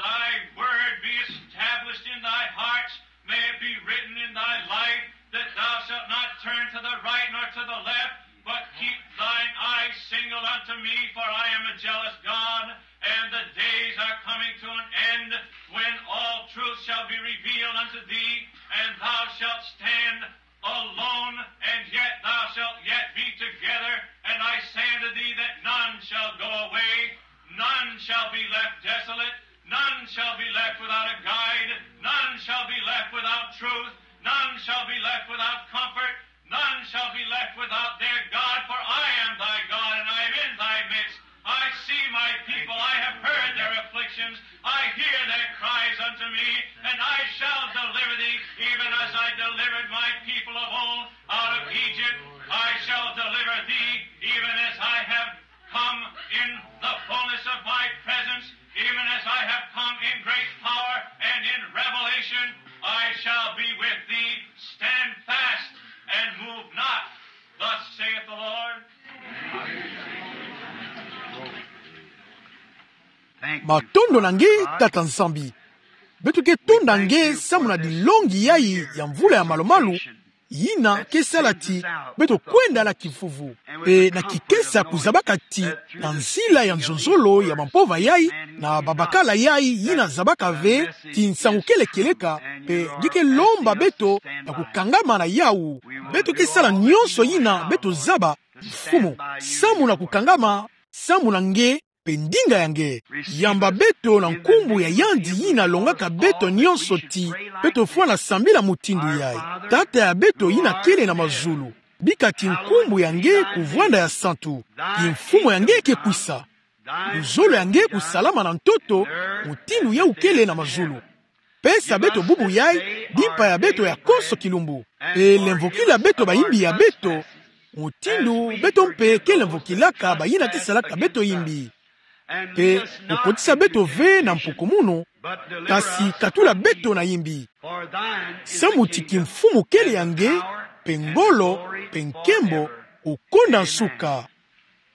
thy word be established in thy hearts. May it be written in thy life that thou shalt not turn to the right nor to the left, but keep thine eyes single unto me, for I am a jealous God, and the days are coming to an end when all truth shall be revealed unto thee, and thou shalt stand alone, and yet thou shalt yet be together. And I say unto thee that none shall go away, none shall be left desolate, none shall be left without a guide, none shall be left without truth, none shall be left without comfort, none shall be left without their God, for I am thy God, and I am in thy midst. I see my people, I have heard their afflictions, I hear their cries unto me, and I shall deliver thee, even as I delivered my people of old out of Egypt. I shall deliver thee, even as I have come in the fullness of my presence, even as I have come in great power and in revelation, I shall be with thee. Stand fast and move not, thus saith the Lord. Matondo na nge, Tata Nzambi. Beto ke tonda nge samu na dilongi yayi ya mvula ya malu-malu, yina ke sala ti beto kwenda na kivuvu. Pe na kikesa kuzabaka ti na nzila ya nzonzolo ya bampova yayi, na babakala yayi yina zabaka ve ti nsangu kele kieleka, pe nge ke lomba beto na kukangama na yawu. Beto ke sala nyonso yina beto zaba. Mfumu, samu na kukangama samu na nge pe ndinga ya nge. Yamba beto na nkumbu ya yandi yina longaka beto nyonso ti beto fwana sambila mutindu yayi. Tata ya beto yina kele na mazulu, bika ti nkumbu ya nge kuvwanda ya santu. Kimfumu ya nge ke kwisa. Luzolo ya nge kusalama na ntoto, mutindu yawu kele na mazulu. Pesa beto bubu yayi, dimpa ya beto ya konso kilumbu. Pe lemvokila beto bayimbi ya beto, mutindu beto mpe ke lemvokilaka bayina ke salaka beto yimbi. Pe kukotisa beto ve na mpukumunu, kasi katula beto na yimbi. Samu ti kimfumu kele ya nge, pe ngolo, pe nkembo, kukonda nsuka.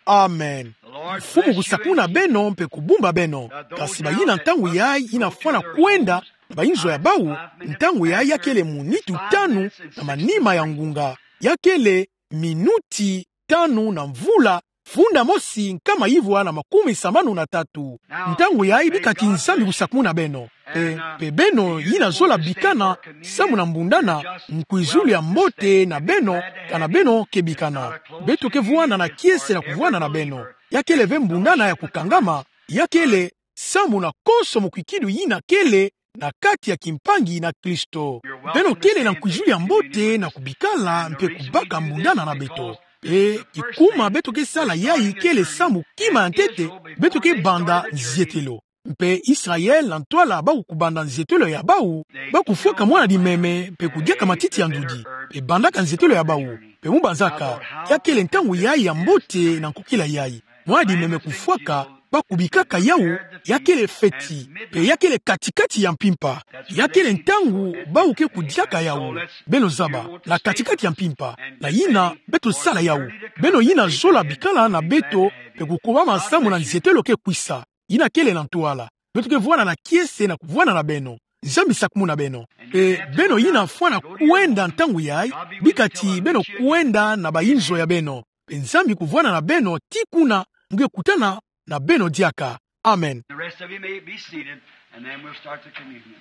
Amen. Mfumu kusakumuna beno mpe kubumba beno. Kasi bayina ntangu yayi yina fwana kwenda na bayinzo ya bawu, ntangu yayi ya kele mu nitu tanu na manima ya ngunga. Ya kele minuti tanu na mvula funda mosi nkama ivwa na makumi sambanu na tatu. Ntangu yayi bika ti Nzambi kusakumuna beno. Pe, pe beno yina zola bikana samu na mbundana, nkwizulu ya mbote na beno, kana beno ke bikana. Beto ke vwanda na kiese na kuvwanda na beno. Ya kele ve mbundana ya kukangama, ya kele samu na konso mukwikidu yina kele na kati ya kimpangi na Kristo. Beno kele na nkwizulu ya mbote na kubikala mpe kubaka mbundana na beto. Pe kikuma beto ke sala yayi kele samu kima ya ntete, beto ke banda nzietelo. Mpe Israel na ntwala bau kubanda nzietelo ya bau, bau kufwaka mwana dimeme mpe kudiaka matiti ya ndudi, mpe bandaka nzietelo ya bau. Mpe mu banzaka, ya kele ntangu yayi ya mbote na nkokila yayi. Mwana dimeme kufwaka, bau kubikaka yawu, ya kele feti, mpe ya kele katikati ya mpimpa. Ya kele ntangu bau ke kudiaka yawu. Beno zaba, na katikati ya mpimpa, na yina beto sala yawu. Beno yina zola bikala na beto, mpe kukobama samu na nzietelo ke kwisa. Yina kele na ntwala. Beto ke vwanda na kiese na kuvwanda na beno. Nzambi sakumuna beno. Mpe beno yina fwana kwenda ntangu yayi, bika ti beno kwenda na bayinzo ya beno. Mpe Nzambi kuvwanda na beno tii kuna nge kutana na beno diaka. Amen. The rest of you may be seated, and then we'll start the communion.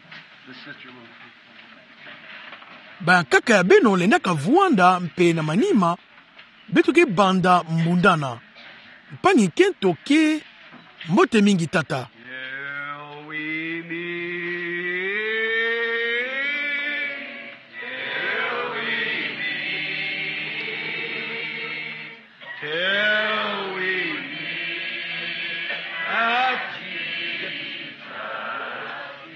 The sister will. Bankaka ya beno lendaka vwanda mpe na manima, beto ke banda mbundana. Mpangi nkento ke mbote mingi tata. Till we meet, till we meet, till we meet at Jesus'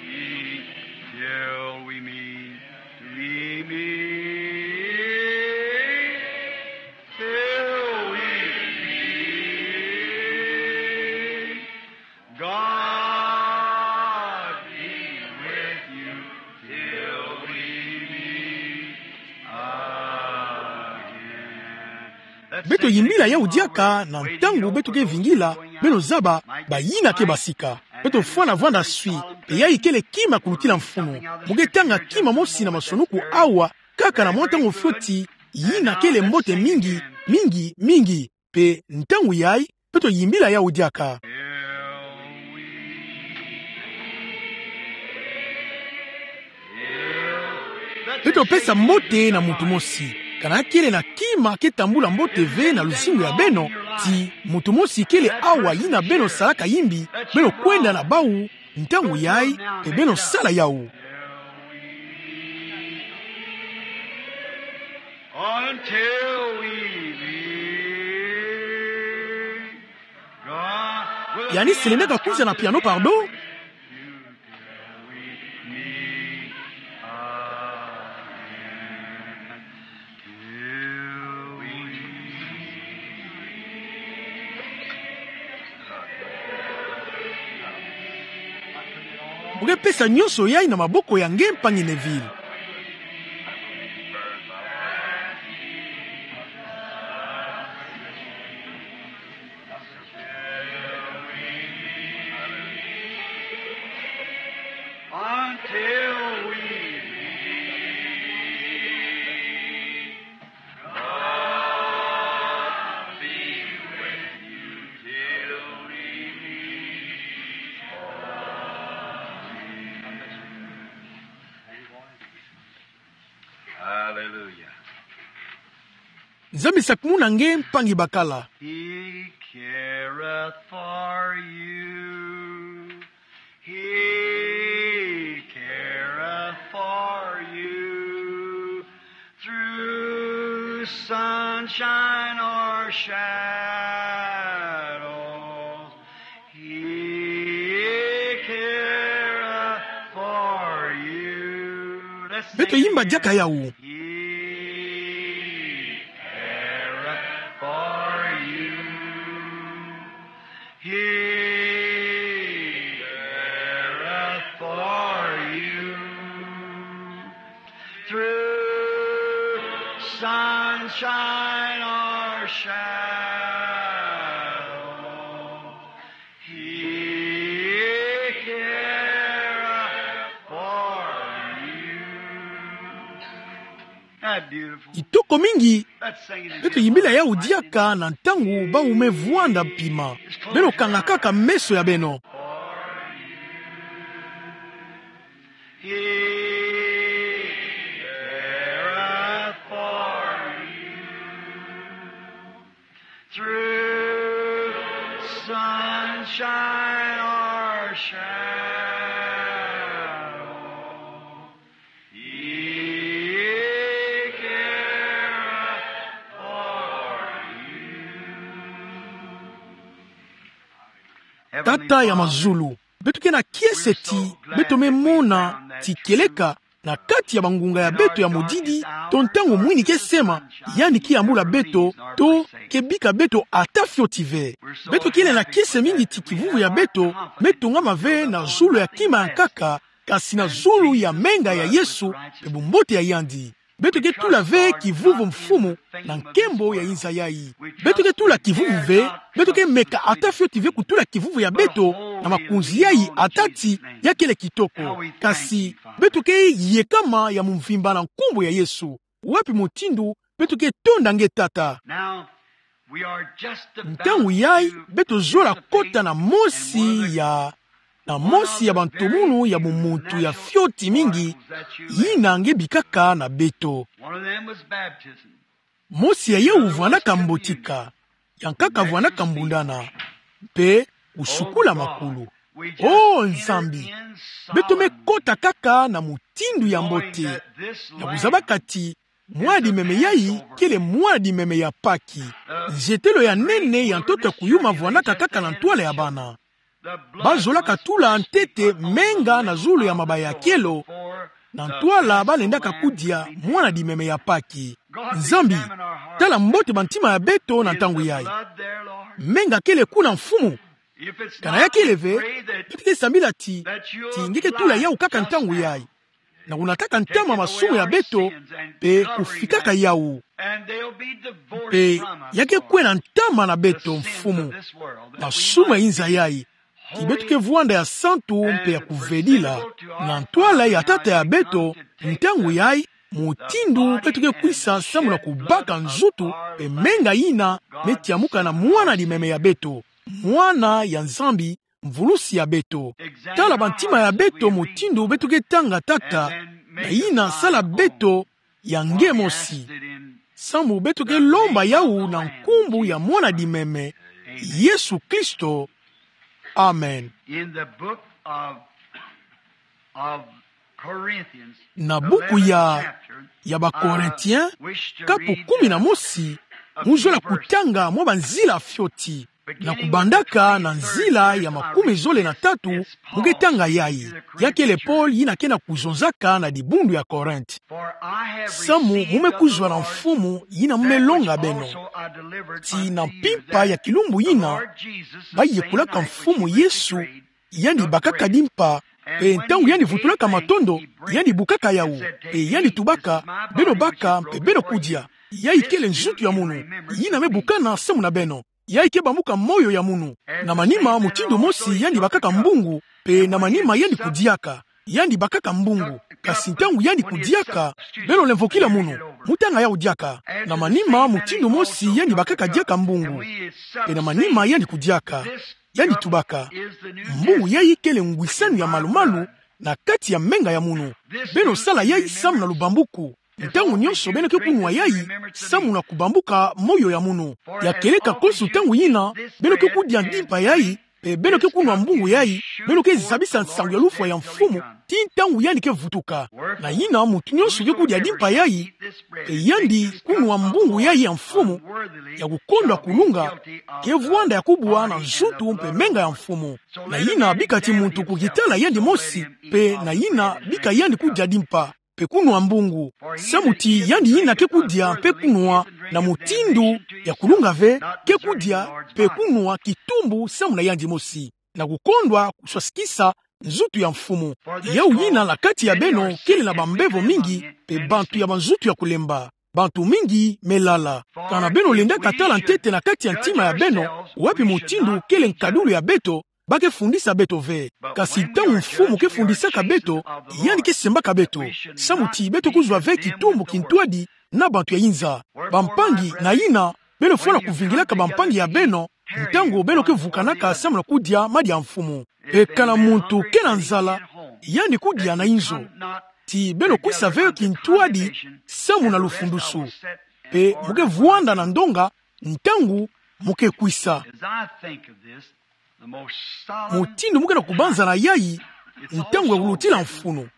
feet, till we meet, we meet, till we meet. God be with you till we meet again. Beto yimbila yawu diaka na ntangu beto ke vingila, beno zaba, bayina ke basika. Beto fwana vwanda swi, mpe yayi kele kima kulutila mfunu. Mu ke tanga kima mosi na masonuku awa, kaka na mwa ntangu fioti, yina kele mbote mingi, mingi, mingi. Mpe ntangu yayi, beto yimbila yawu diaka. Beto pesa mbote na muntu mosi. Kana kele na kima ke tambula mbote ve na luzingu ya beno, ti muntu mosi kele awa yina beno salaka yimbi, beno kwenda na bau, ntangu yayi, mpe beno sala yawu. Until we meet. Yandi selendaka kwiza na piano, pardon? Mu ke pesa nyonso yayi na maboko ya nge mpangi Neville. Until we meet, God be with you till we meet. Hallelujah. Nzambi sakumuna nge mpangi bakala. He careth for you. He careth for you. Through sunshine or shadows, He careth for you. Beto yimba diaka yawu. He careth for you. He careth for you. Through sunshine or shadow, He careth for you. Isn't that beautiful? Kitoko mingi. Let's sing it again. Beto yimbila yawu diaka na ntangu bau me vwanda pima. Beno kanga kaka meso ya beno. He careth for you. Through sunshine or shadow, He careth for you. Tata ya mazulu, Beto ke na kiese ti beto me mona ti kieleka na kati ya bangunga ya beto ya modidi, to ntangu mwini ke sema, yandi ke yambula beto, to ke bika beto ata fioti ve. Beto kele na kiese mingi ti kivuvu ya beto me tongama ve na zulu ya kima ya nkaka, kasi na zulu ya menga ya Yesu, pe bumbote ya yandi. Beto ke tula ve kivuvu Mfumu na nkembo ya inza yai. Beto ke tula kivuvu ve, beto ke meka ata fioti ve kutula kivuvu ya beto na makonzi yai ata ti ya kele kitoko. Kasi beto ke yekama ya mvimba na nkumbu ya Yesu. Wapi mutindu beto ke tonda nge Tata? Ntangu yai beto zola kota na mosi ya, na mosi ya bantumunu ya bumuntu ya fioti mingi, yina nge bikaka na beto. Mosi ya yau vwandaka mbotika, ya nkaka vwandaka mbundana, pe kusukula makulu. O Nzambi, beto me kota kaka na mutindu ya mbote, na kuzabaka ti mwana-dimeme yai kele mwana-dimeme ya Paki. Nzetelo ya nene ya ntoto ya kuyuma vwandaka kaka na ntwala ya bana. Bazolaka tula ntete menga na zulu ya mabaya ya kielo, na ntwala balendaka kudia mwana-dimeme ya Paki. Nzambi, tala mbote bantima ya beto na ntangu yai. Menga kele kuna, Mfumu? Kana ya kele ve, beto ke sambila ti, ti nge ke tula yau kaka ntangu yai, na kunataka ntama masumu ya beto, pe kufikaka yau. Pe ya ke kwena ntama na beto, Mfumu, masumu ya inza yai. Ti beto ke vwanda ya santu mpe ya kuvedila na ntwala ya Tata ya beto, ntangu yai, mutindu beto ke kwisa samu na kubaka nzutu pe menga yina me tiamuka na mwana-dimeme ya beto, mwana ya Nzambi, mvulusi ya beto. Tala bantima ya beto mutindu beto ke tanga, Tata, na yina sala beto ya nge mosi. Samu beto ke lomba yau na nkumbu ya mwana-dimeme, Yesu Kristo. Amen. In the book of, of Corinthians, na buku ya, ya Bakorintien, kapu kumi na mosi, muzola kutanga mwa banzila fioti. Na kubandaka na nzila ya makumi zole na tatu, mu ke tanga yai. Ya kele Paul yina ke na kuzonzaka na dibundu ya Korint. Samu mu me kuzwa na Mfumu yina mu me longa beno, ti na mpimpa ya kilumbu yina, bayekolaka Mfumu Yesu, yandi bakaka dimpa, pe ntangu yandi vutulaka matondo, yandi bukaka yau, pe yandi tubaka: Beno baka, mpe beno kudia. Yai kele nzutu ya munu, yina me bukana samu na beno. Yai ke bambuka moyo ya munu. Na manima mutindu mosi yandi bakaka mbungu, pe na manima yandi kudiaka. Yandi bakaka mbungu. Kasi ntangu yandi kudiaka, beno lemvokila munu, mu tanga yau diaka. Na manima mutindu mosi yandi bakaka diaka mbungu, pe na manima yandi kudiaka. Yandi tubaka: Mbungu yai kele ngwisanu ya malu-malu na kati ya menga ya munu. Beno sala yai samu na lubambuku. Ntangu nyonso beno ke kunwa yai, samu na kubambuka moyo ya munu. Ya kieleka konso ntangu yina beno ke kudia dimpa yai, pe beno ke kunwa mbungu yai, beno ke zabisa nsangu ya lufwa ya Mfumu, ti ntangu yandi ke vutuka. Na yina muntu nyonso ke kudia dimpa yai, pe yandi kunwa mbungu yai ya Mfumu, ya kukondwa kulunga, ke vwanda ya kubwa na nzutu mpe menga ya Mfumu. Na yina bika ti muntu kukitala yandi mosi, pe na yina bika yandi kudia dimpa pe kunwa mbungu. Samu ti yandi yina ke kudia pe kunwa na mutindu ya kulunga ve, ke kudia pe kunwa kitumbu samu na yandi mosi, na kukondwa kuswasikisa nzutu ya Mfumu. Yau yina na kati ya beno kele na bambevo mingi, pe bantu ya banzutu ya kulemba. Bantu mingi me lala. Kana beno lendaka tala ntete na kati ya ntima ya beno, wapi mutindu kele nkadulu ya beto, ba ke fundisa beto ve. Kasi ntangu Mfumu ke fundisaka beto, yandi ke sembaka beto, samu ti beto kuzwa ve kitumbu kintwadi na bantu ya inza. Bampangi, na yina beno fwana kuvingilaka bampangi ya beno, ntangu beno ke vukanaka samu na kudia madi ya Mfumu. Pe kana muntu ke na nzala, yandi kudia na inzo. Ti beno kwisa ve kintwadi samu na lufundusu. Pe mu ke vwanda na ndonga ntangu mu ke kwisa. Mutindu mu ke na kubanza na yai, ntangu ya kulutila mfunu,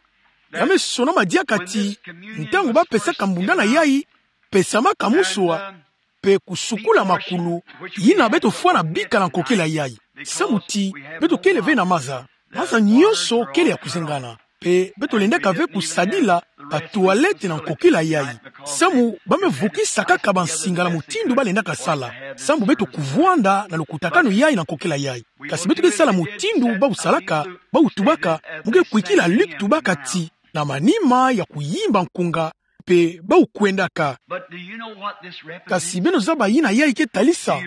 ya me sonama diaka ti, ntangu ba pesaka mbundana yai, pesamaka musua, pe kusukula makulu, yina beto fwana bika na nkokila yai. Samu ti beto kele ve na maza. Maza nyonso kele ya kuzengana. Mpe beto lendaka ve kusadila batoilette na nkokila yai. Samu ba me vukisa kaka bansinga na mutindu ba lendaka sala. Samu beto kuvwanda na lukutakanu yai na nkokila yai. Kasi beto ke sala mutindu bau salaka, bau tubaka, mu ke kwikila Luke tubaka ti, na manima ya kuyimba nkunga, mpe bau kwendaka. But do you know what this represents? Kasi beno zaba yina yai ke talisa?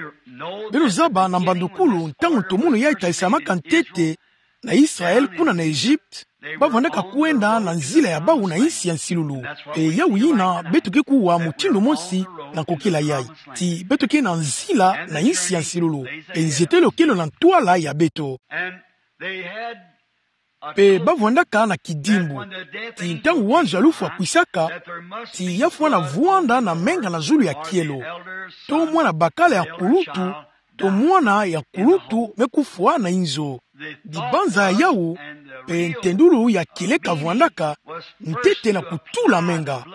Beno zaba na mbandukulu ntangu ntomunu yai talisamaka ntete na Israel kuna na Egypte, ba vandaka kwenda na nzila ya bau na insi ya nsilulu. Mpe yau yina beto ke kuwa mutindu mosi na nkokila yai. Ti beto ke na nzila na insi ya nsilulu. Mpe nzietelo kele na ntwala ya beto. And they had Mpe ba vwandaka na kidimbu ti ntangu wanzo ya lufwa akwisaka, ti ya fwana vwanda na menga na zulu ya kielo, to mwana bakala ya nkulutu, to mwana ya nkulutu me kufwa na inzo. Dibanza ya yau, mpe ntendulu ya kieleka vwandaka, ntete na kutula menga.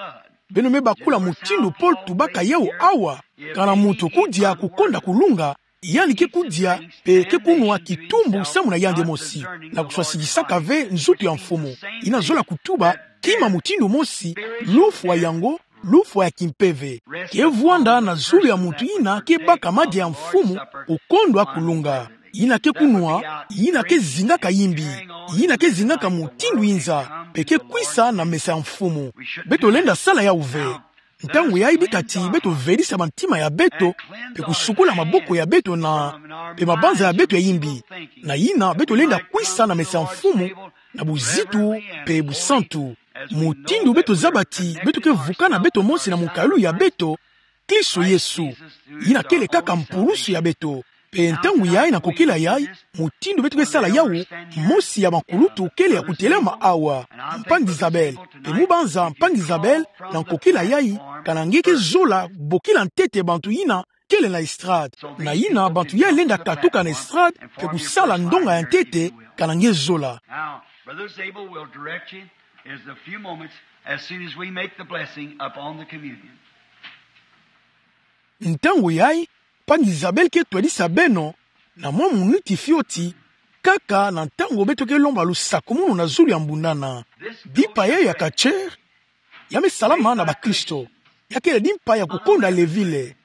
Beno me bakula mutindu Paul tubaka yau awa, kana muntu kudia kukonda kulunga, yandi ke kudia mpe ke kunwa kitumbu samu na yandi mosi, na kuswasikisaka ve nzutu ya Mfumu. Yina zola kutuba, kima mutindu mosi, lufwa yango, lufwa ya kimpeve. Ke vwanda na zulu ya muntu yina ke baka madia ya Mfumu, kukondwa kulunga. Yina ke kunwa, yina ke zingaka yimbi, yina ke zingaka mutindu inza, mpe ke kwisa na mesa ya Mfumu. Beto lenda sala yau ve. Ntangu yai bika ti beto velisa bantima ya beto, mpe kusukula maboko ya beto na, mpe mabanza ya beto ya yimbi. Na yina beto lenda kwisa na mesa ya Mfumu, na buzitu, mpe busantu. Mutindu beto zaba ti beto ke vukana beto mosi na munkayulu ya beto, Kristo Yesu. Yina kele kaka mpulusu ya beto. Mpe ntangu yai na nkokila yai, mutindu beto ke sala yau, mosi ya bankulutu kele ya kutelama awa, Mpangi Isabelle. Mpe mu banza Mpangi Isabelle, na nkokila yai, kana nge ke zola bokila ntete bantu yina kele na estrade. Na yina bantu yai lenda katuka na estrade, mpe kusala ndonga ya ntete, kana nge zola. Now, Brother Zabel will direct you in a few moments as soon as we make the blessing upon the communion. Ntangu yai, Mpangi Isabelle ke twadisa beno, na mwa muniti fioti, kaka na ntangu beto ke lomba lusakumunu na zulu ya mbundana. Dimpa yai ya katcher, ya me salama na bakristo. Ya kele dimpa ya kukonda levile.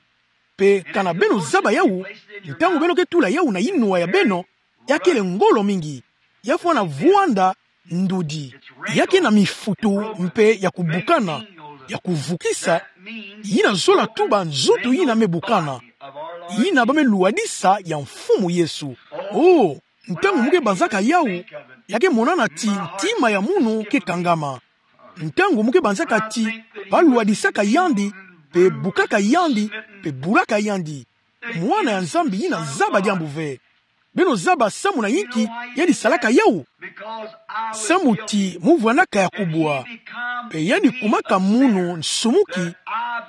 Mpe kana beno zaba yau, ntangu beno ke tula yau na inwa ya beno, ya kele ngolo mingi. Ya fwana vwanda ndudi. Ya ke na mifutu mpe ya kubukana, ya kuvukisa, yina zola tuba nzutu yina me bukana, yina ba me lwadisa ya Mfumu Yesu. Oh, ntangu mu ke banzaka yau, ya ke monana ti ntima ya munu ke kangama. Ntangu mu ke banzaka ti ba lwadisaka yandi, mpe bukaka yandi, mpe bulaka yandi. Mwana ya Nzambi yina zaba diambu ve. Beno zaba samu na yinki yandi salaka yau? Samu ti mu vwandaka ya kubwa. Mpe yandi kumaka munu nsumuki,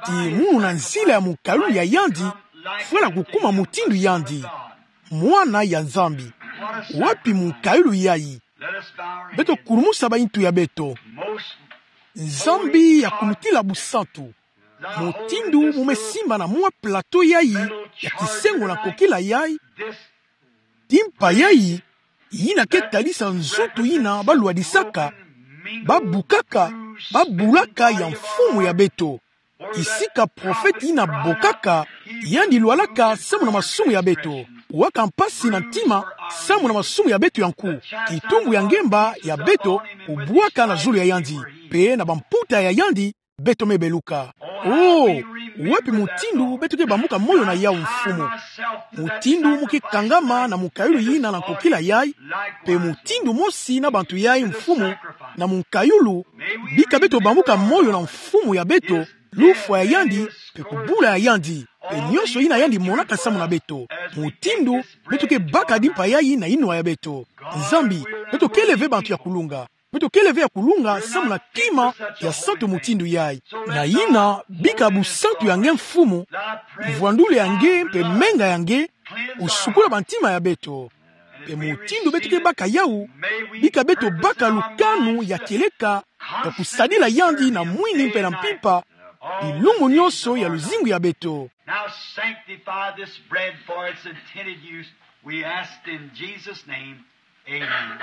ti munu na nzila ya munkayulu ya yandi, fwala kukuma mutindu yandi. Mwana ya Nzambi. Wapi munkayulu yai? Beto kulumusa bayintu ya beto. Nzambi ya kulutila busantu. Mutindu mu me simba na mwa plateau yai ya kisengo na nkokila yai, dimpa yai, yina ke talisa nzutu yina ba lwadisaka, ba bukaka, ba bulaka ya Mfumu ya beto. Kisika profete yina bokaka, yandi lwalaka samu na masumu ya beto. Kuwaka mpasi na ntima, samu na masumu ya beto ya nku. Kitumbu ya ngemba ya beto, kubwaka na zulu ya yandi. Mpe na bamputa ya yandi, beto me beluka. Oh, wapi mutindu beto ke bambuka moyo na yau, Mfumu? Mutindu mu ke kangama na munkayulu yina na nkokila yai, mpe mutindu mosi na bantu yai, Mfumu, na munkayulu, bika beto bambuka moyo na Mfumu ya beto, lufwa ya yandi, mpe kubula ya yandi, mpe nyonso yina yandi monaka samu na beto. Mutindu beto ke baka dimpa yai na inwa ya beto. Nzambi, beto kele ve bantu ya kulunga. Beto kele ve ya kulunga samu na kima ya santu mutindu yai. Na yina, bika busantu ya nge, Mfumu, mvwandulu ya nge mpe menga ya nge, usukula bantima ya beto. Mpe mutindu beto ke baka yau, bika beto baka lukanu ya kieleka, ya kusadila yandi na mwini mpe na mpimpa, bilumbu nyonso ya luzingu ya beto. Now sanctify this bread for its intended use, we ask in Jesus' name. Amen.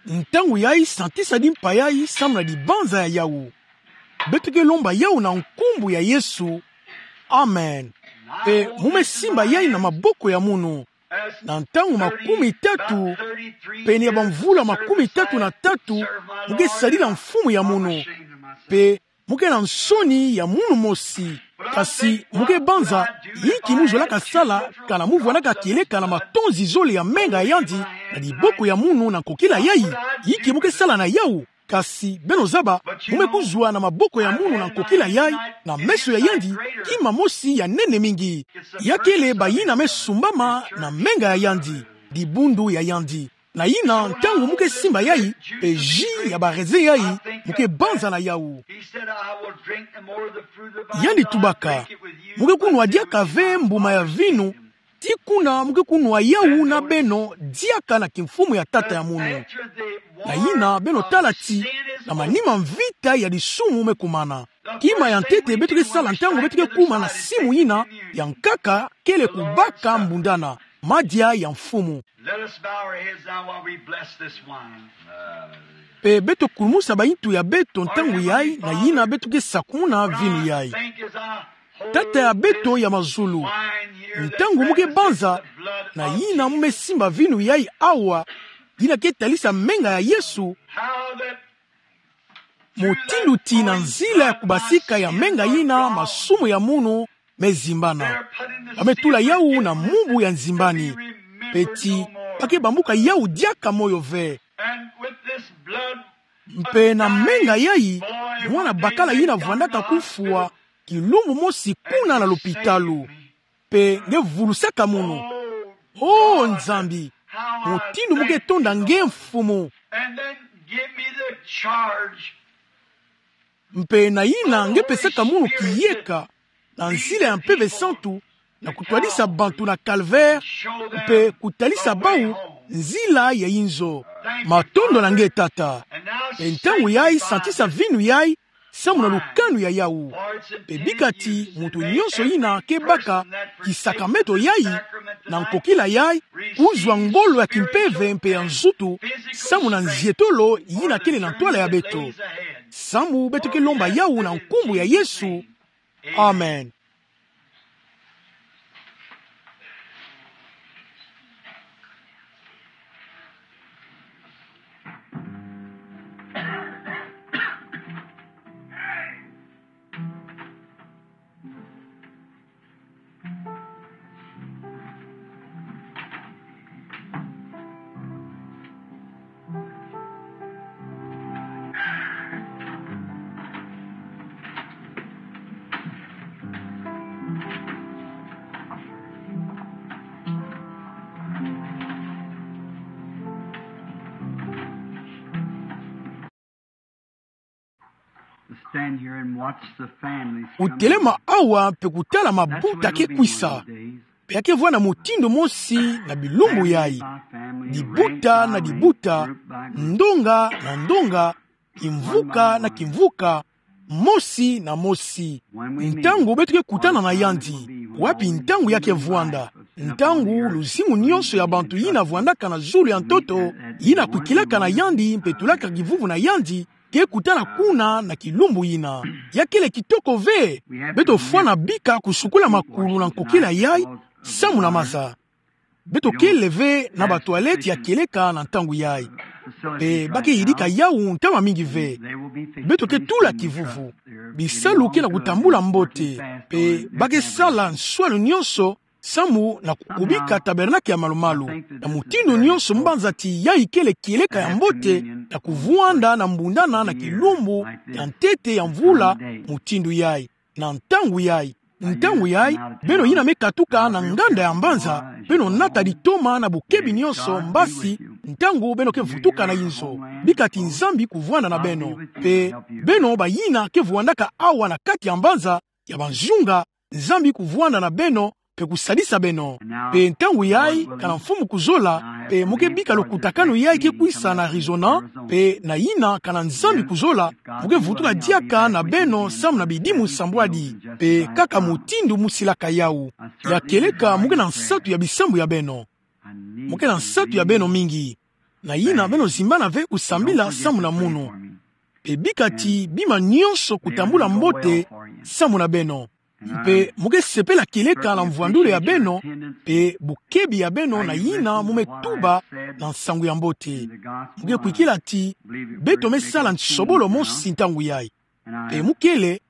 Ntangu yai, santisa dimpa yai samu na dibanza ya yawu. Beto ke lomba yawu na nkumbu ya Yesu. Amen. Pe mu me simba yai na maboko ya munu. Na ntangu makumi tatu, pene ya bamvula makumi tatu na tatu, mu ke sadila mfumu ya munu. Pe mu ke na nsoni ya munu mosi. Kasi mu ke banza, inki mu zolaka sala, kana mu vwandaka kieleka na matonzi zole ya menga ya yandi, na diboko ya munu na nkokila yai? Inki mu ke sala na yawu? Kasi beno zaba, mu me kuzwa na maboko ya munu na nkokila yai, na meso ya yandi, kima mosi ya nene mingi. Ya kele bayina me sumbama na menga ya yandi, dibundu ya yandi. Na yina, ntangu mu ke simba yai, pe jus ya baraisin yai, mu ke banza na yawu. Yandi tubaka: Mu ke kunwa diaka ve mbuma ya vinu, tii kuna mu ke kunwa yawu na beno diaka na kimfumu ya Tata ya munu. Na yina, beno tala ti na manima mvita ya disumu me kumana. Kima ya ntete beto ke sala ntangu beto ke kuma na simu yina ya nkaka kele kubaka mbundana, madia ya mfumu. Let us bow our heads now while we bless this wine. Pe beto kulumusa bayitu ya beto ntangu yai, na yina beto ke sakumuna vinu yai. Tata ya beto ya mazulu, ntangu mu ke banza, na yina mu me simba vinu yai awa, yina ke talisa menga ya Yesu, mutindu ti na nzila ya kubasika ya menga yina masumu ya munu me zimbana. Ba me tula yawu na mubu ya nzimbani. Pe ti ba ke bambuka yawu diaka moyo ve. Mpe na menga yai, mwana bakala yina vwandaka kufwa kilumbu mosi kuna na lopitalo. Pe nge vulusaka munu. Oh, Nzambi, mutindu mu ke tonda nge, Mfumu. Mpe na yina nge pesaka munu kiyeka, na nzila ya Mpeve Santu, na kutwadisa bantu na calvaire, mpe kutalisa bawu nzila ya inzo. Matondo na nge, Tata. Mpe ntangu yai, santisa vinu yai samu na lukanu ya yawu. Mpe bika ti muntu nyonso yina ke baka kisakramentu yai, na nkokila yai, kuzwa ngolo ya kimpeve mpe ya nzutu samu na nzietolo yina kele na ntwala ya beto. Samu beto ke lomba yawu na nkumbu ya Yesu. Amen. Stand here and watch the families come. Kutelema awa mpe kutala mabuta ke kwisa. Mpe ya ke vwanda mutindu mosi na bilumbu yai. Dibuta na dibuta, ndonga na ndonga, kimvuka na kimvuka, mosi na mosi. Ntangu beto ke kutana na yandi, wapi ntangu ya ke vwanda? Ntangu luzingu nyonso ya bantu yina vwandaka na zulu ya ntoto, yina kwikilaka na yandi mpe tulaka kivuvu na yandi, ke kutana kuna na kilumbu yina. Ya kele kitoko ve. Beto fwana bika kusukula makulu na nkokila yai samu na maza. Beto kele ve na ba toilette ya kieleka na ntangu yai. Mpe ba ke yidika yawu ntama mingi ve. Beto ke tula kivuvu. Bisalu ke na kutambula mbote. Mpe ba ke sala nswalu nyonso samu na kukubika tabernacle ya malumalu. Na mutindu nyonso, mbanza ti yai kele kieleka ya mbote, na kuvwanda na mbundana na kilumbu ya ntete ya mvula mutindu yai. Na ntangu yai, ntangu yai, beno yina me katuka na nganda ya mbanza, beno nata ditoma na bokebi nyonso, mbasi, ntangu beno ke vutuka na inzo. Bika ti Nzambi kuvwanda na beno. Mpe beno bayina ke vwandaka awa na kati ya mbanza, ya banzunga, Nzambi kuvwanda na beno, mpe kusadisa beno. Mpe ntangu yai, kana Mfumu kuzola, mpe mu ke bika lukutakanu yai ke kwisa na Arizona, mpe na yina kana Nzambi kuzola, mu ke vutuka diaka na beno samu na bidimu nsambwadi, mpe kaka mutindu mu silaka yawu. Ya kieleka mu ke na nsatu ya bisambu ya beno. Mo ke na nsatu ya beno mingi. Na yina beno zimbana ve kusambila samu na munu. Pe bika ti bima nionso kutambula mbote samu na beno. Mpe mo ke sepela kieleka na mvwandulu ya beno, pe bokebi ya beno na yina mo me tuba na nsangu ya mbote. Mo ke kwikila ti beto me sala nsobolo mosi ntangu yai. Pe mo kele,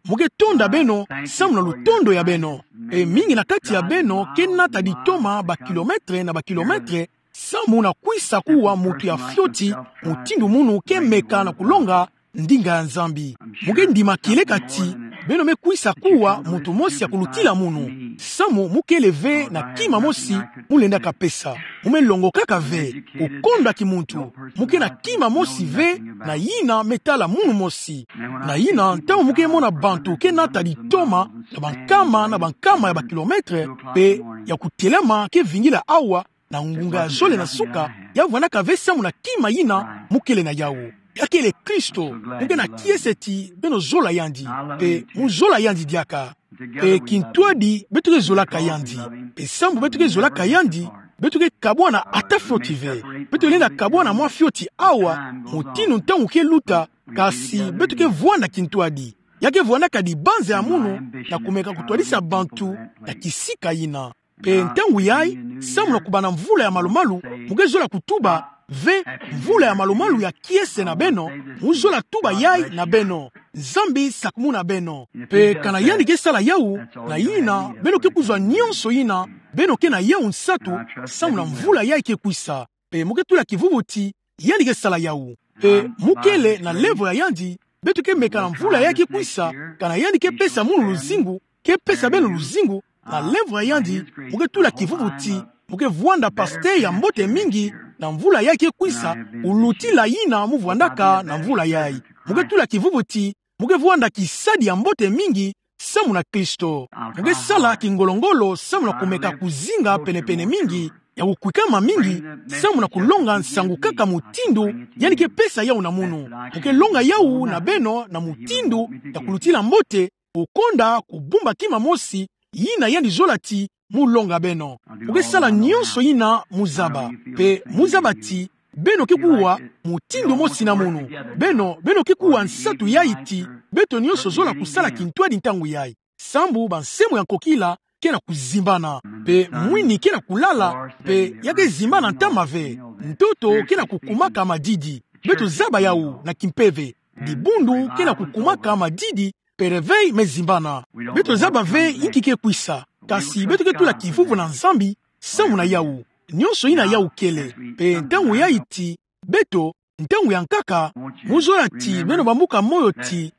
mo ke tonda beno samu na lutondo ya beno. Pe mingi na kati ya beno ke nata ditoma bakilometre na bakilometre, samu na kwisa kuwa mutu ya fioti, mutindu munu ke meka na kulonga ndinga ya Nzambi. Mo ke ndima kieleka ti beno me kwisa kuwa mutu mosi ya kulutila munu, samu mo kele ve na kima mosi mo lendaka pesa. Mo me longokaka ve, kukonda kimuntu. Mo ke na kima mosi ve na yina me tala munu mosi. Na yina, ntangu mo ke mona bantu ke nata ditoma na bankama na bankama ya bakilometre, pe ya kutelama ke vingila awa na ngunga ya zole na suka, ya vwandaka ve samu na kima yina mo kele na yawu. Ya kele Kristo. Mo ke na kiese ti beno zola yandi, pe mo zola yandi diaka. Pe kintwadi beto ke zolaka yandi. Pe samu beto ke zolaka yandi, beto ke kabwana ata fioti ve. Beto lenda kabwana mwa fioti awa, mutindu ntangu ke luta, kasi beto ke vwanda kintwadi. Ya ke vwandaka dibanza ya munu na kumeka kutwadisa bantu na kisika yina. Pe ntangu yai, samu na kubana mvula ya malumalu, mo ke zola kutuba ve, mvula ya malumalu ya kiese na beno, mo zola tuba yai na beno. Nzambi sakumuna beno. Pe kana yandi ke sala yawu, na yina beno ke kuzwa nionso yina beno ke na yawu nsatu, samu na mvula yai ke kwisa. Pe mo ke tula kivuvu ti yandi ke sala yawu. Pe mo kele na lèvres ya yandi, beto ke meka na mvula yai ke kwisa, kana yandi ke pesa munu luzingu, ke pesa beno luzingu, na lèvres ya yandi, mo ke tula kivuvu ti mo ke vwanda pasteur ya mbote mingi na mvula yai ke kwisa, kulutila yina mo vwandaka na mvula yai. Mo ke tula kivuvu ti mo ke vwanda kisadi ya mbote mingi samu na Kristo. Mo ke sala kingolo-ngolo samu na kumeka kuzinga pene-pene mingi, ya kukwikama mingi, samu na kulonga nsangu kaka mutindu yandi ke pesa yawu na munu. Mo ke longa yawu na beno na mutindu ya kulutila mbote, kukonda kubumba kima mosi, yina yandi zola ti mo longa beno. Mo ke sala nionso yina mo zaba. Pe mo zaba ti beno ke kuwa mutindu mosi na munu. Beno, beno ke kuwa nsatu yai ti beto nionso zola kusala kintwadi ntangu yai. Sambu bansemo ya nkokila ke na kuzimbana, pe mwini ke na kulala, pe ya ke zimbana ntama ve. Ntoto ke na kukumaka madidi. Beto zaba yawu na kimpeve. Dibundu ke na kukumaka madidi, pe réveil me zimbana. Beto zaba ve inki ke kwisa, kasi beto ke tula kivuvu na Nzambi samu na yawu. Nionso yina yawu kele. Pe ntangu yai ti beto, ntangu ya nkaka, mo zola ti beno bambuka moyo ti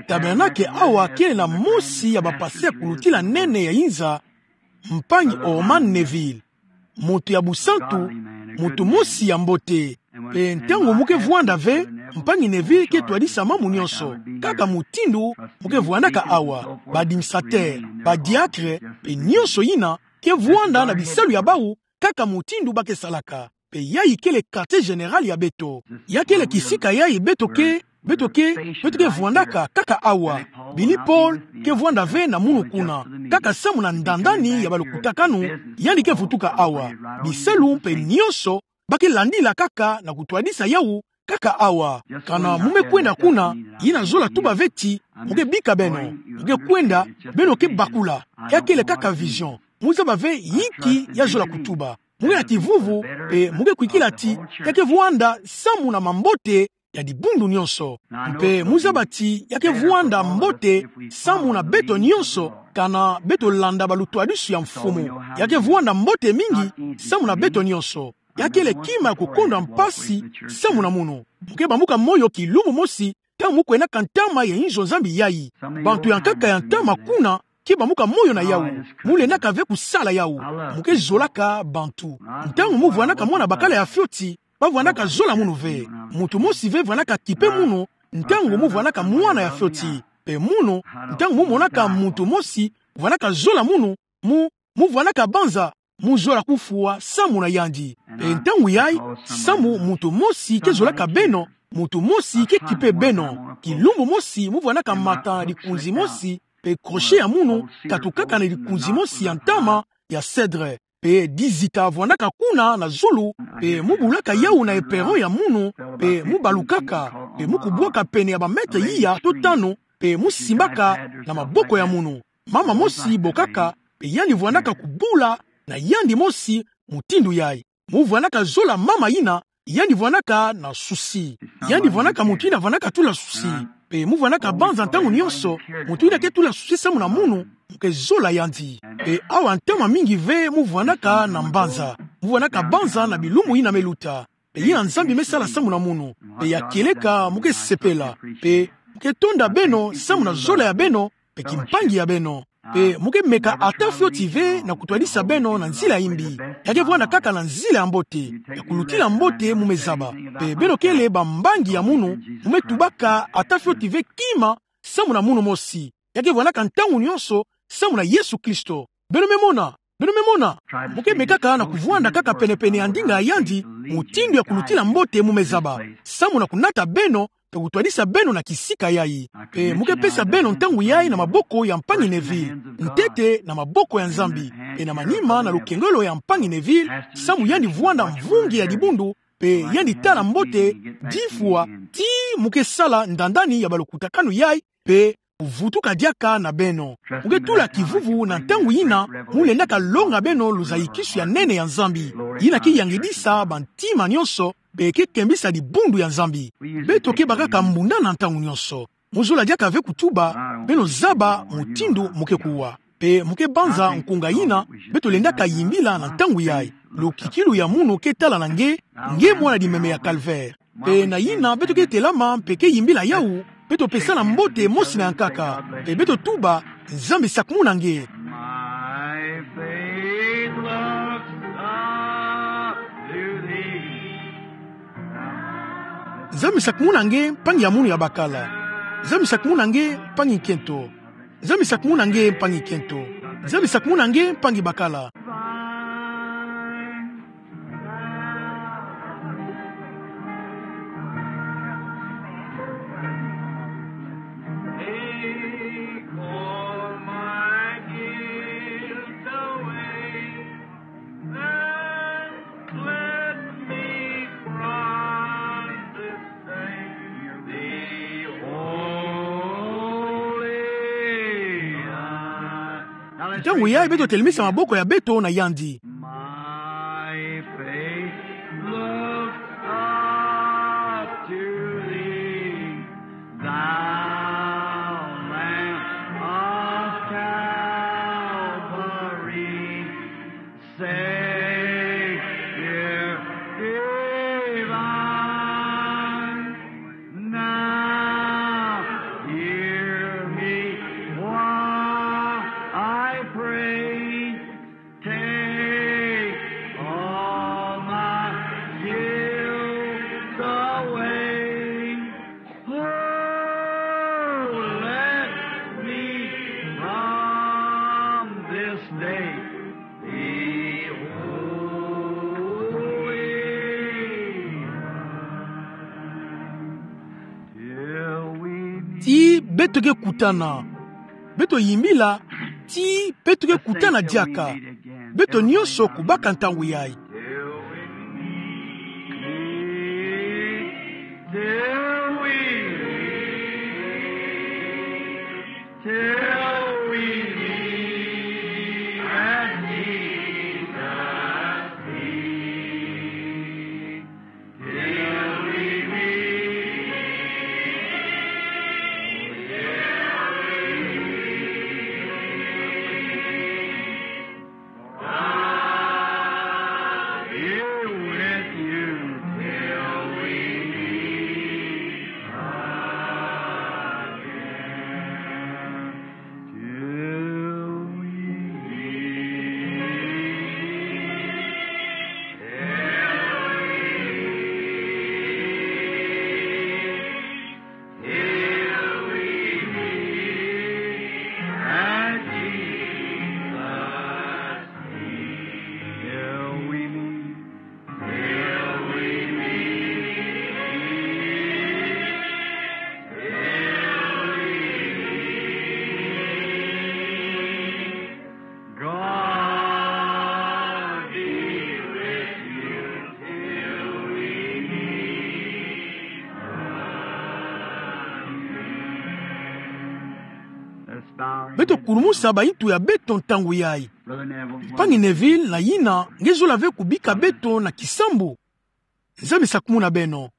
tabernacle awa kele na mosi ya bapasteur ya kulutila nene ya inza, mpangi Orman Neville. Muntu ya busantu, muntu mosi ya mbote. Pe ntangu mo ke vwanda ve, mpangi Neville ke twadisa mamu nionso, kaka mutindu mo ke vwandaka awa, ba administrateur, ba diacre, pe nionso yina ke vwanda na bisalu ya bawu, kaka mutindu ba ke salaka. Pe yai kele quartier général ya beto. Ya kele kisika yai beto ke, beto ke, beto ke vwandaka kaka awa. Billy Paul ke vwanda ve na munu kuna, kaka samu na ndandani ya balukutakanu, yandi ke vutuka awa. Bisalu mpe nionso ba ke landila kaka na kutwadisa yawu kaka awa. Kana mo me kwenda kuna, yina zola tuba ve ti mo ke bika beno. Mo ke kwenda, beno ke bakula. Ya kele kaka vision. Mo zaba ve inki ya zola kutuba. Mo ke na kivuvu, pe mo ke kwikila ti ya ke vwanda samu na mambote ya dibundu nionso. Mpe mo zaba ti ya ke vwanda mbote samu na beto nionso, kana beto landa balutwadisu ya Mfumu. Ya ke vwanda mbote mingi samu na beto nionso. Ya kele kima ya kukondwa mpasi samu na munu. Mo ke bambuka moyo kilumbu mosi, ntangu mo kwendaka ntama ya inzo Nzambi yai. Bantu ya nkaka ya ntama kuna ke bambuka moyo na yawu. Mo lendaka ve kusala yawu. Mo ke zolaka bantu. Ntangu mo vwandaka mwana bakala ya fioti, ba vwandaka zola munu ve. Muntu mosi ve vwandaka kipe munu, ntangu mo vwandaka mwana ya fioti. Pe munu, ntangu mo monaka muntu mosi vwandaka zola munu, mo, mo vwandaka banza, mo zola kufwa samu na yandi. Pe ntangu yai, samu muntu mosi ke zolaka beno, muntu mosi ke kipe beno. Kilumbu mosi mo vwandaka mata dikunzi mosi, pe crochet ya munu katukaka na dikunzi mosi ya ntama ya cèdre. pe dizita vwandaka kuna na zulu, pe mu bulaka yawu na eperon ya munu, pe mu balukaka, pe mu kubwaka pene ya ba mètre iya to tanu, pe mu simbaka na maboko ya munu. Mama mosi bokaka, pe yandi vwandaka kubula na yandi mosi mutindu yai. Mu vwandaka zola mama yina, yandi vwandaka na susi. Yandi vwandaka mutu yina vwandaka tula susi. Pe mu vwandaka banza ntangu nyonso, mutu yina ke tula susi samu na munu, mu ke zola yandi. Pe awa ntama mingi ve mu vwandaka na mbanza. Mu vwandaka banza na bilumbu yina me luta. Pe yina Nzambi me sala samu na munu. Pe ya kieleka mu ke sepela. Pe mu ke tonda beno samu na zola ya beno, pe kimpangi ya beno. Pe mu ke meka ata fioti ve na kutwadisa beno na nzila ya imbi. Ya ke vwanda kaka na nzila ya mbote, ya kulutila mbote mu me zaba. Pe beno kele bambangi ya munu, mu me tubaka ata fioti ve kima samu na munu mosi. Ya ke vwandaka ntangu nyonso samu na Yesu Kristo. Beno me mona, beno me mona. Mu ke mekaka na kuvwanda kaka penepene ya ndinga ya yandi, mutindu ya kulutila mbote mu me zaba. Samu na kunata beno, pe kutwadisa beno na kisika yai. Pe mu ke pesa beno ntangu yai na maboko ya mpangi Neville. Ntete na maboko ya Nzambi. Pe na manima na lukengolo ya mpangi Neville, samu yandi vwanda mvungi ya dibundu, pe yandi tala mbote, difwa, ti mu ke sala ndandani ya balukutakanu yai, pe kuvutuka diaka na beno. Mu ke tula kivuvu na ntangu yina, mu lendaka longa beno luzayikisu ya nene ya Nzambi. Yina ke yangidisa bantima nyonso, pe ke kembisa dibundu ya Nzambi. Beto ke bakaka mbundana ntangu nyonso. Mu zola diaka ve kutuba, beno zaba mutindu mu ke kuwa. Pe mu ke banza nkunga yina, beto lendaka yimbila na ntangu yai. Lukikilu ya munu ke tala na nge, nge mwana dimeme ya Calvaire. Pe na yina beto ke telama mpe ke yimbila yawu, beto pesa na mbote mosi na ya nkaka. Pe beto tuba, Nzambi sakumuna nge. My faith looks up to thee. Nzambi sakumuna nge, mpangi ya munu ya bakala. Nzambi sakumuna nge, mpangi nkento. Nzambi sakumuna nge, mpangi nkento. Nzambi sakumuna nge, mpangi bakala. Take all my guilt away, and cleanse me from this stain. Be holy. Ntangu yai beto telemisa maboko ya beto na yandi. My faith looks up to thee, thou Lamb of Calvary, Savior divine. Now hear me while I pray. Take all my guilt away. Oh, let me from this day be holy. Till we meet. Ti beto ke kutana. Beto yimbila, ti beto ke kutana diaka. Beto nyonso kubaka ntangu yai. Till we meet, till we meet at Jesus' feet. Beto kurumusa bahintu ya beto ntangu yayi. Mpangi Neville na Ina, nge zola ve kubika beto na kisambu. Nzambi sakumuna beno.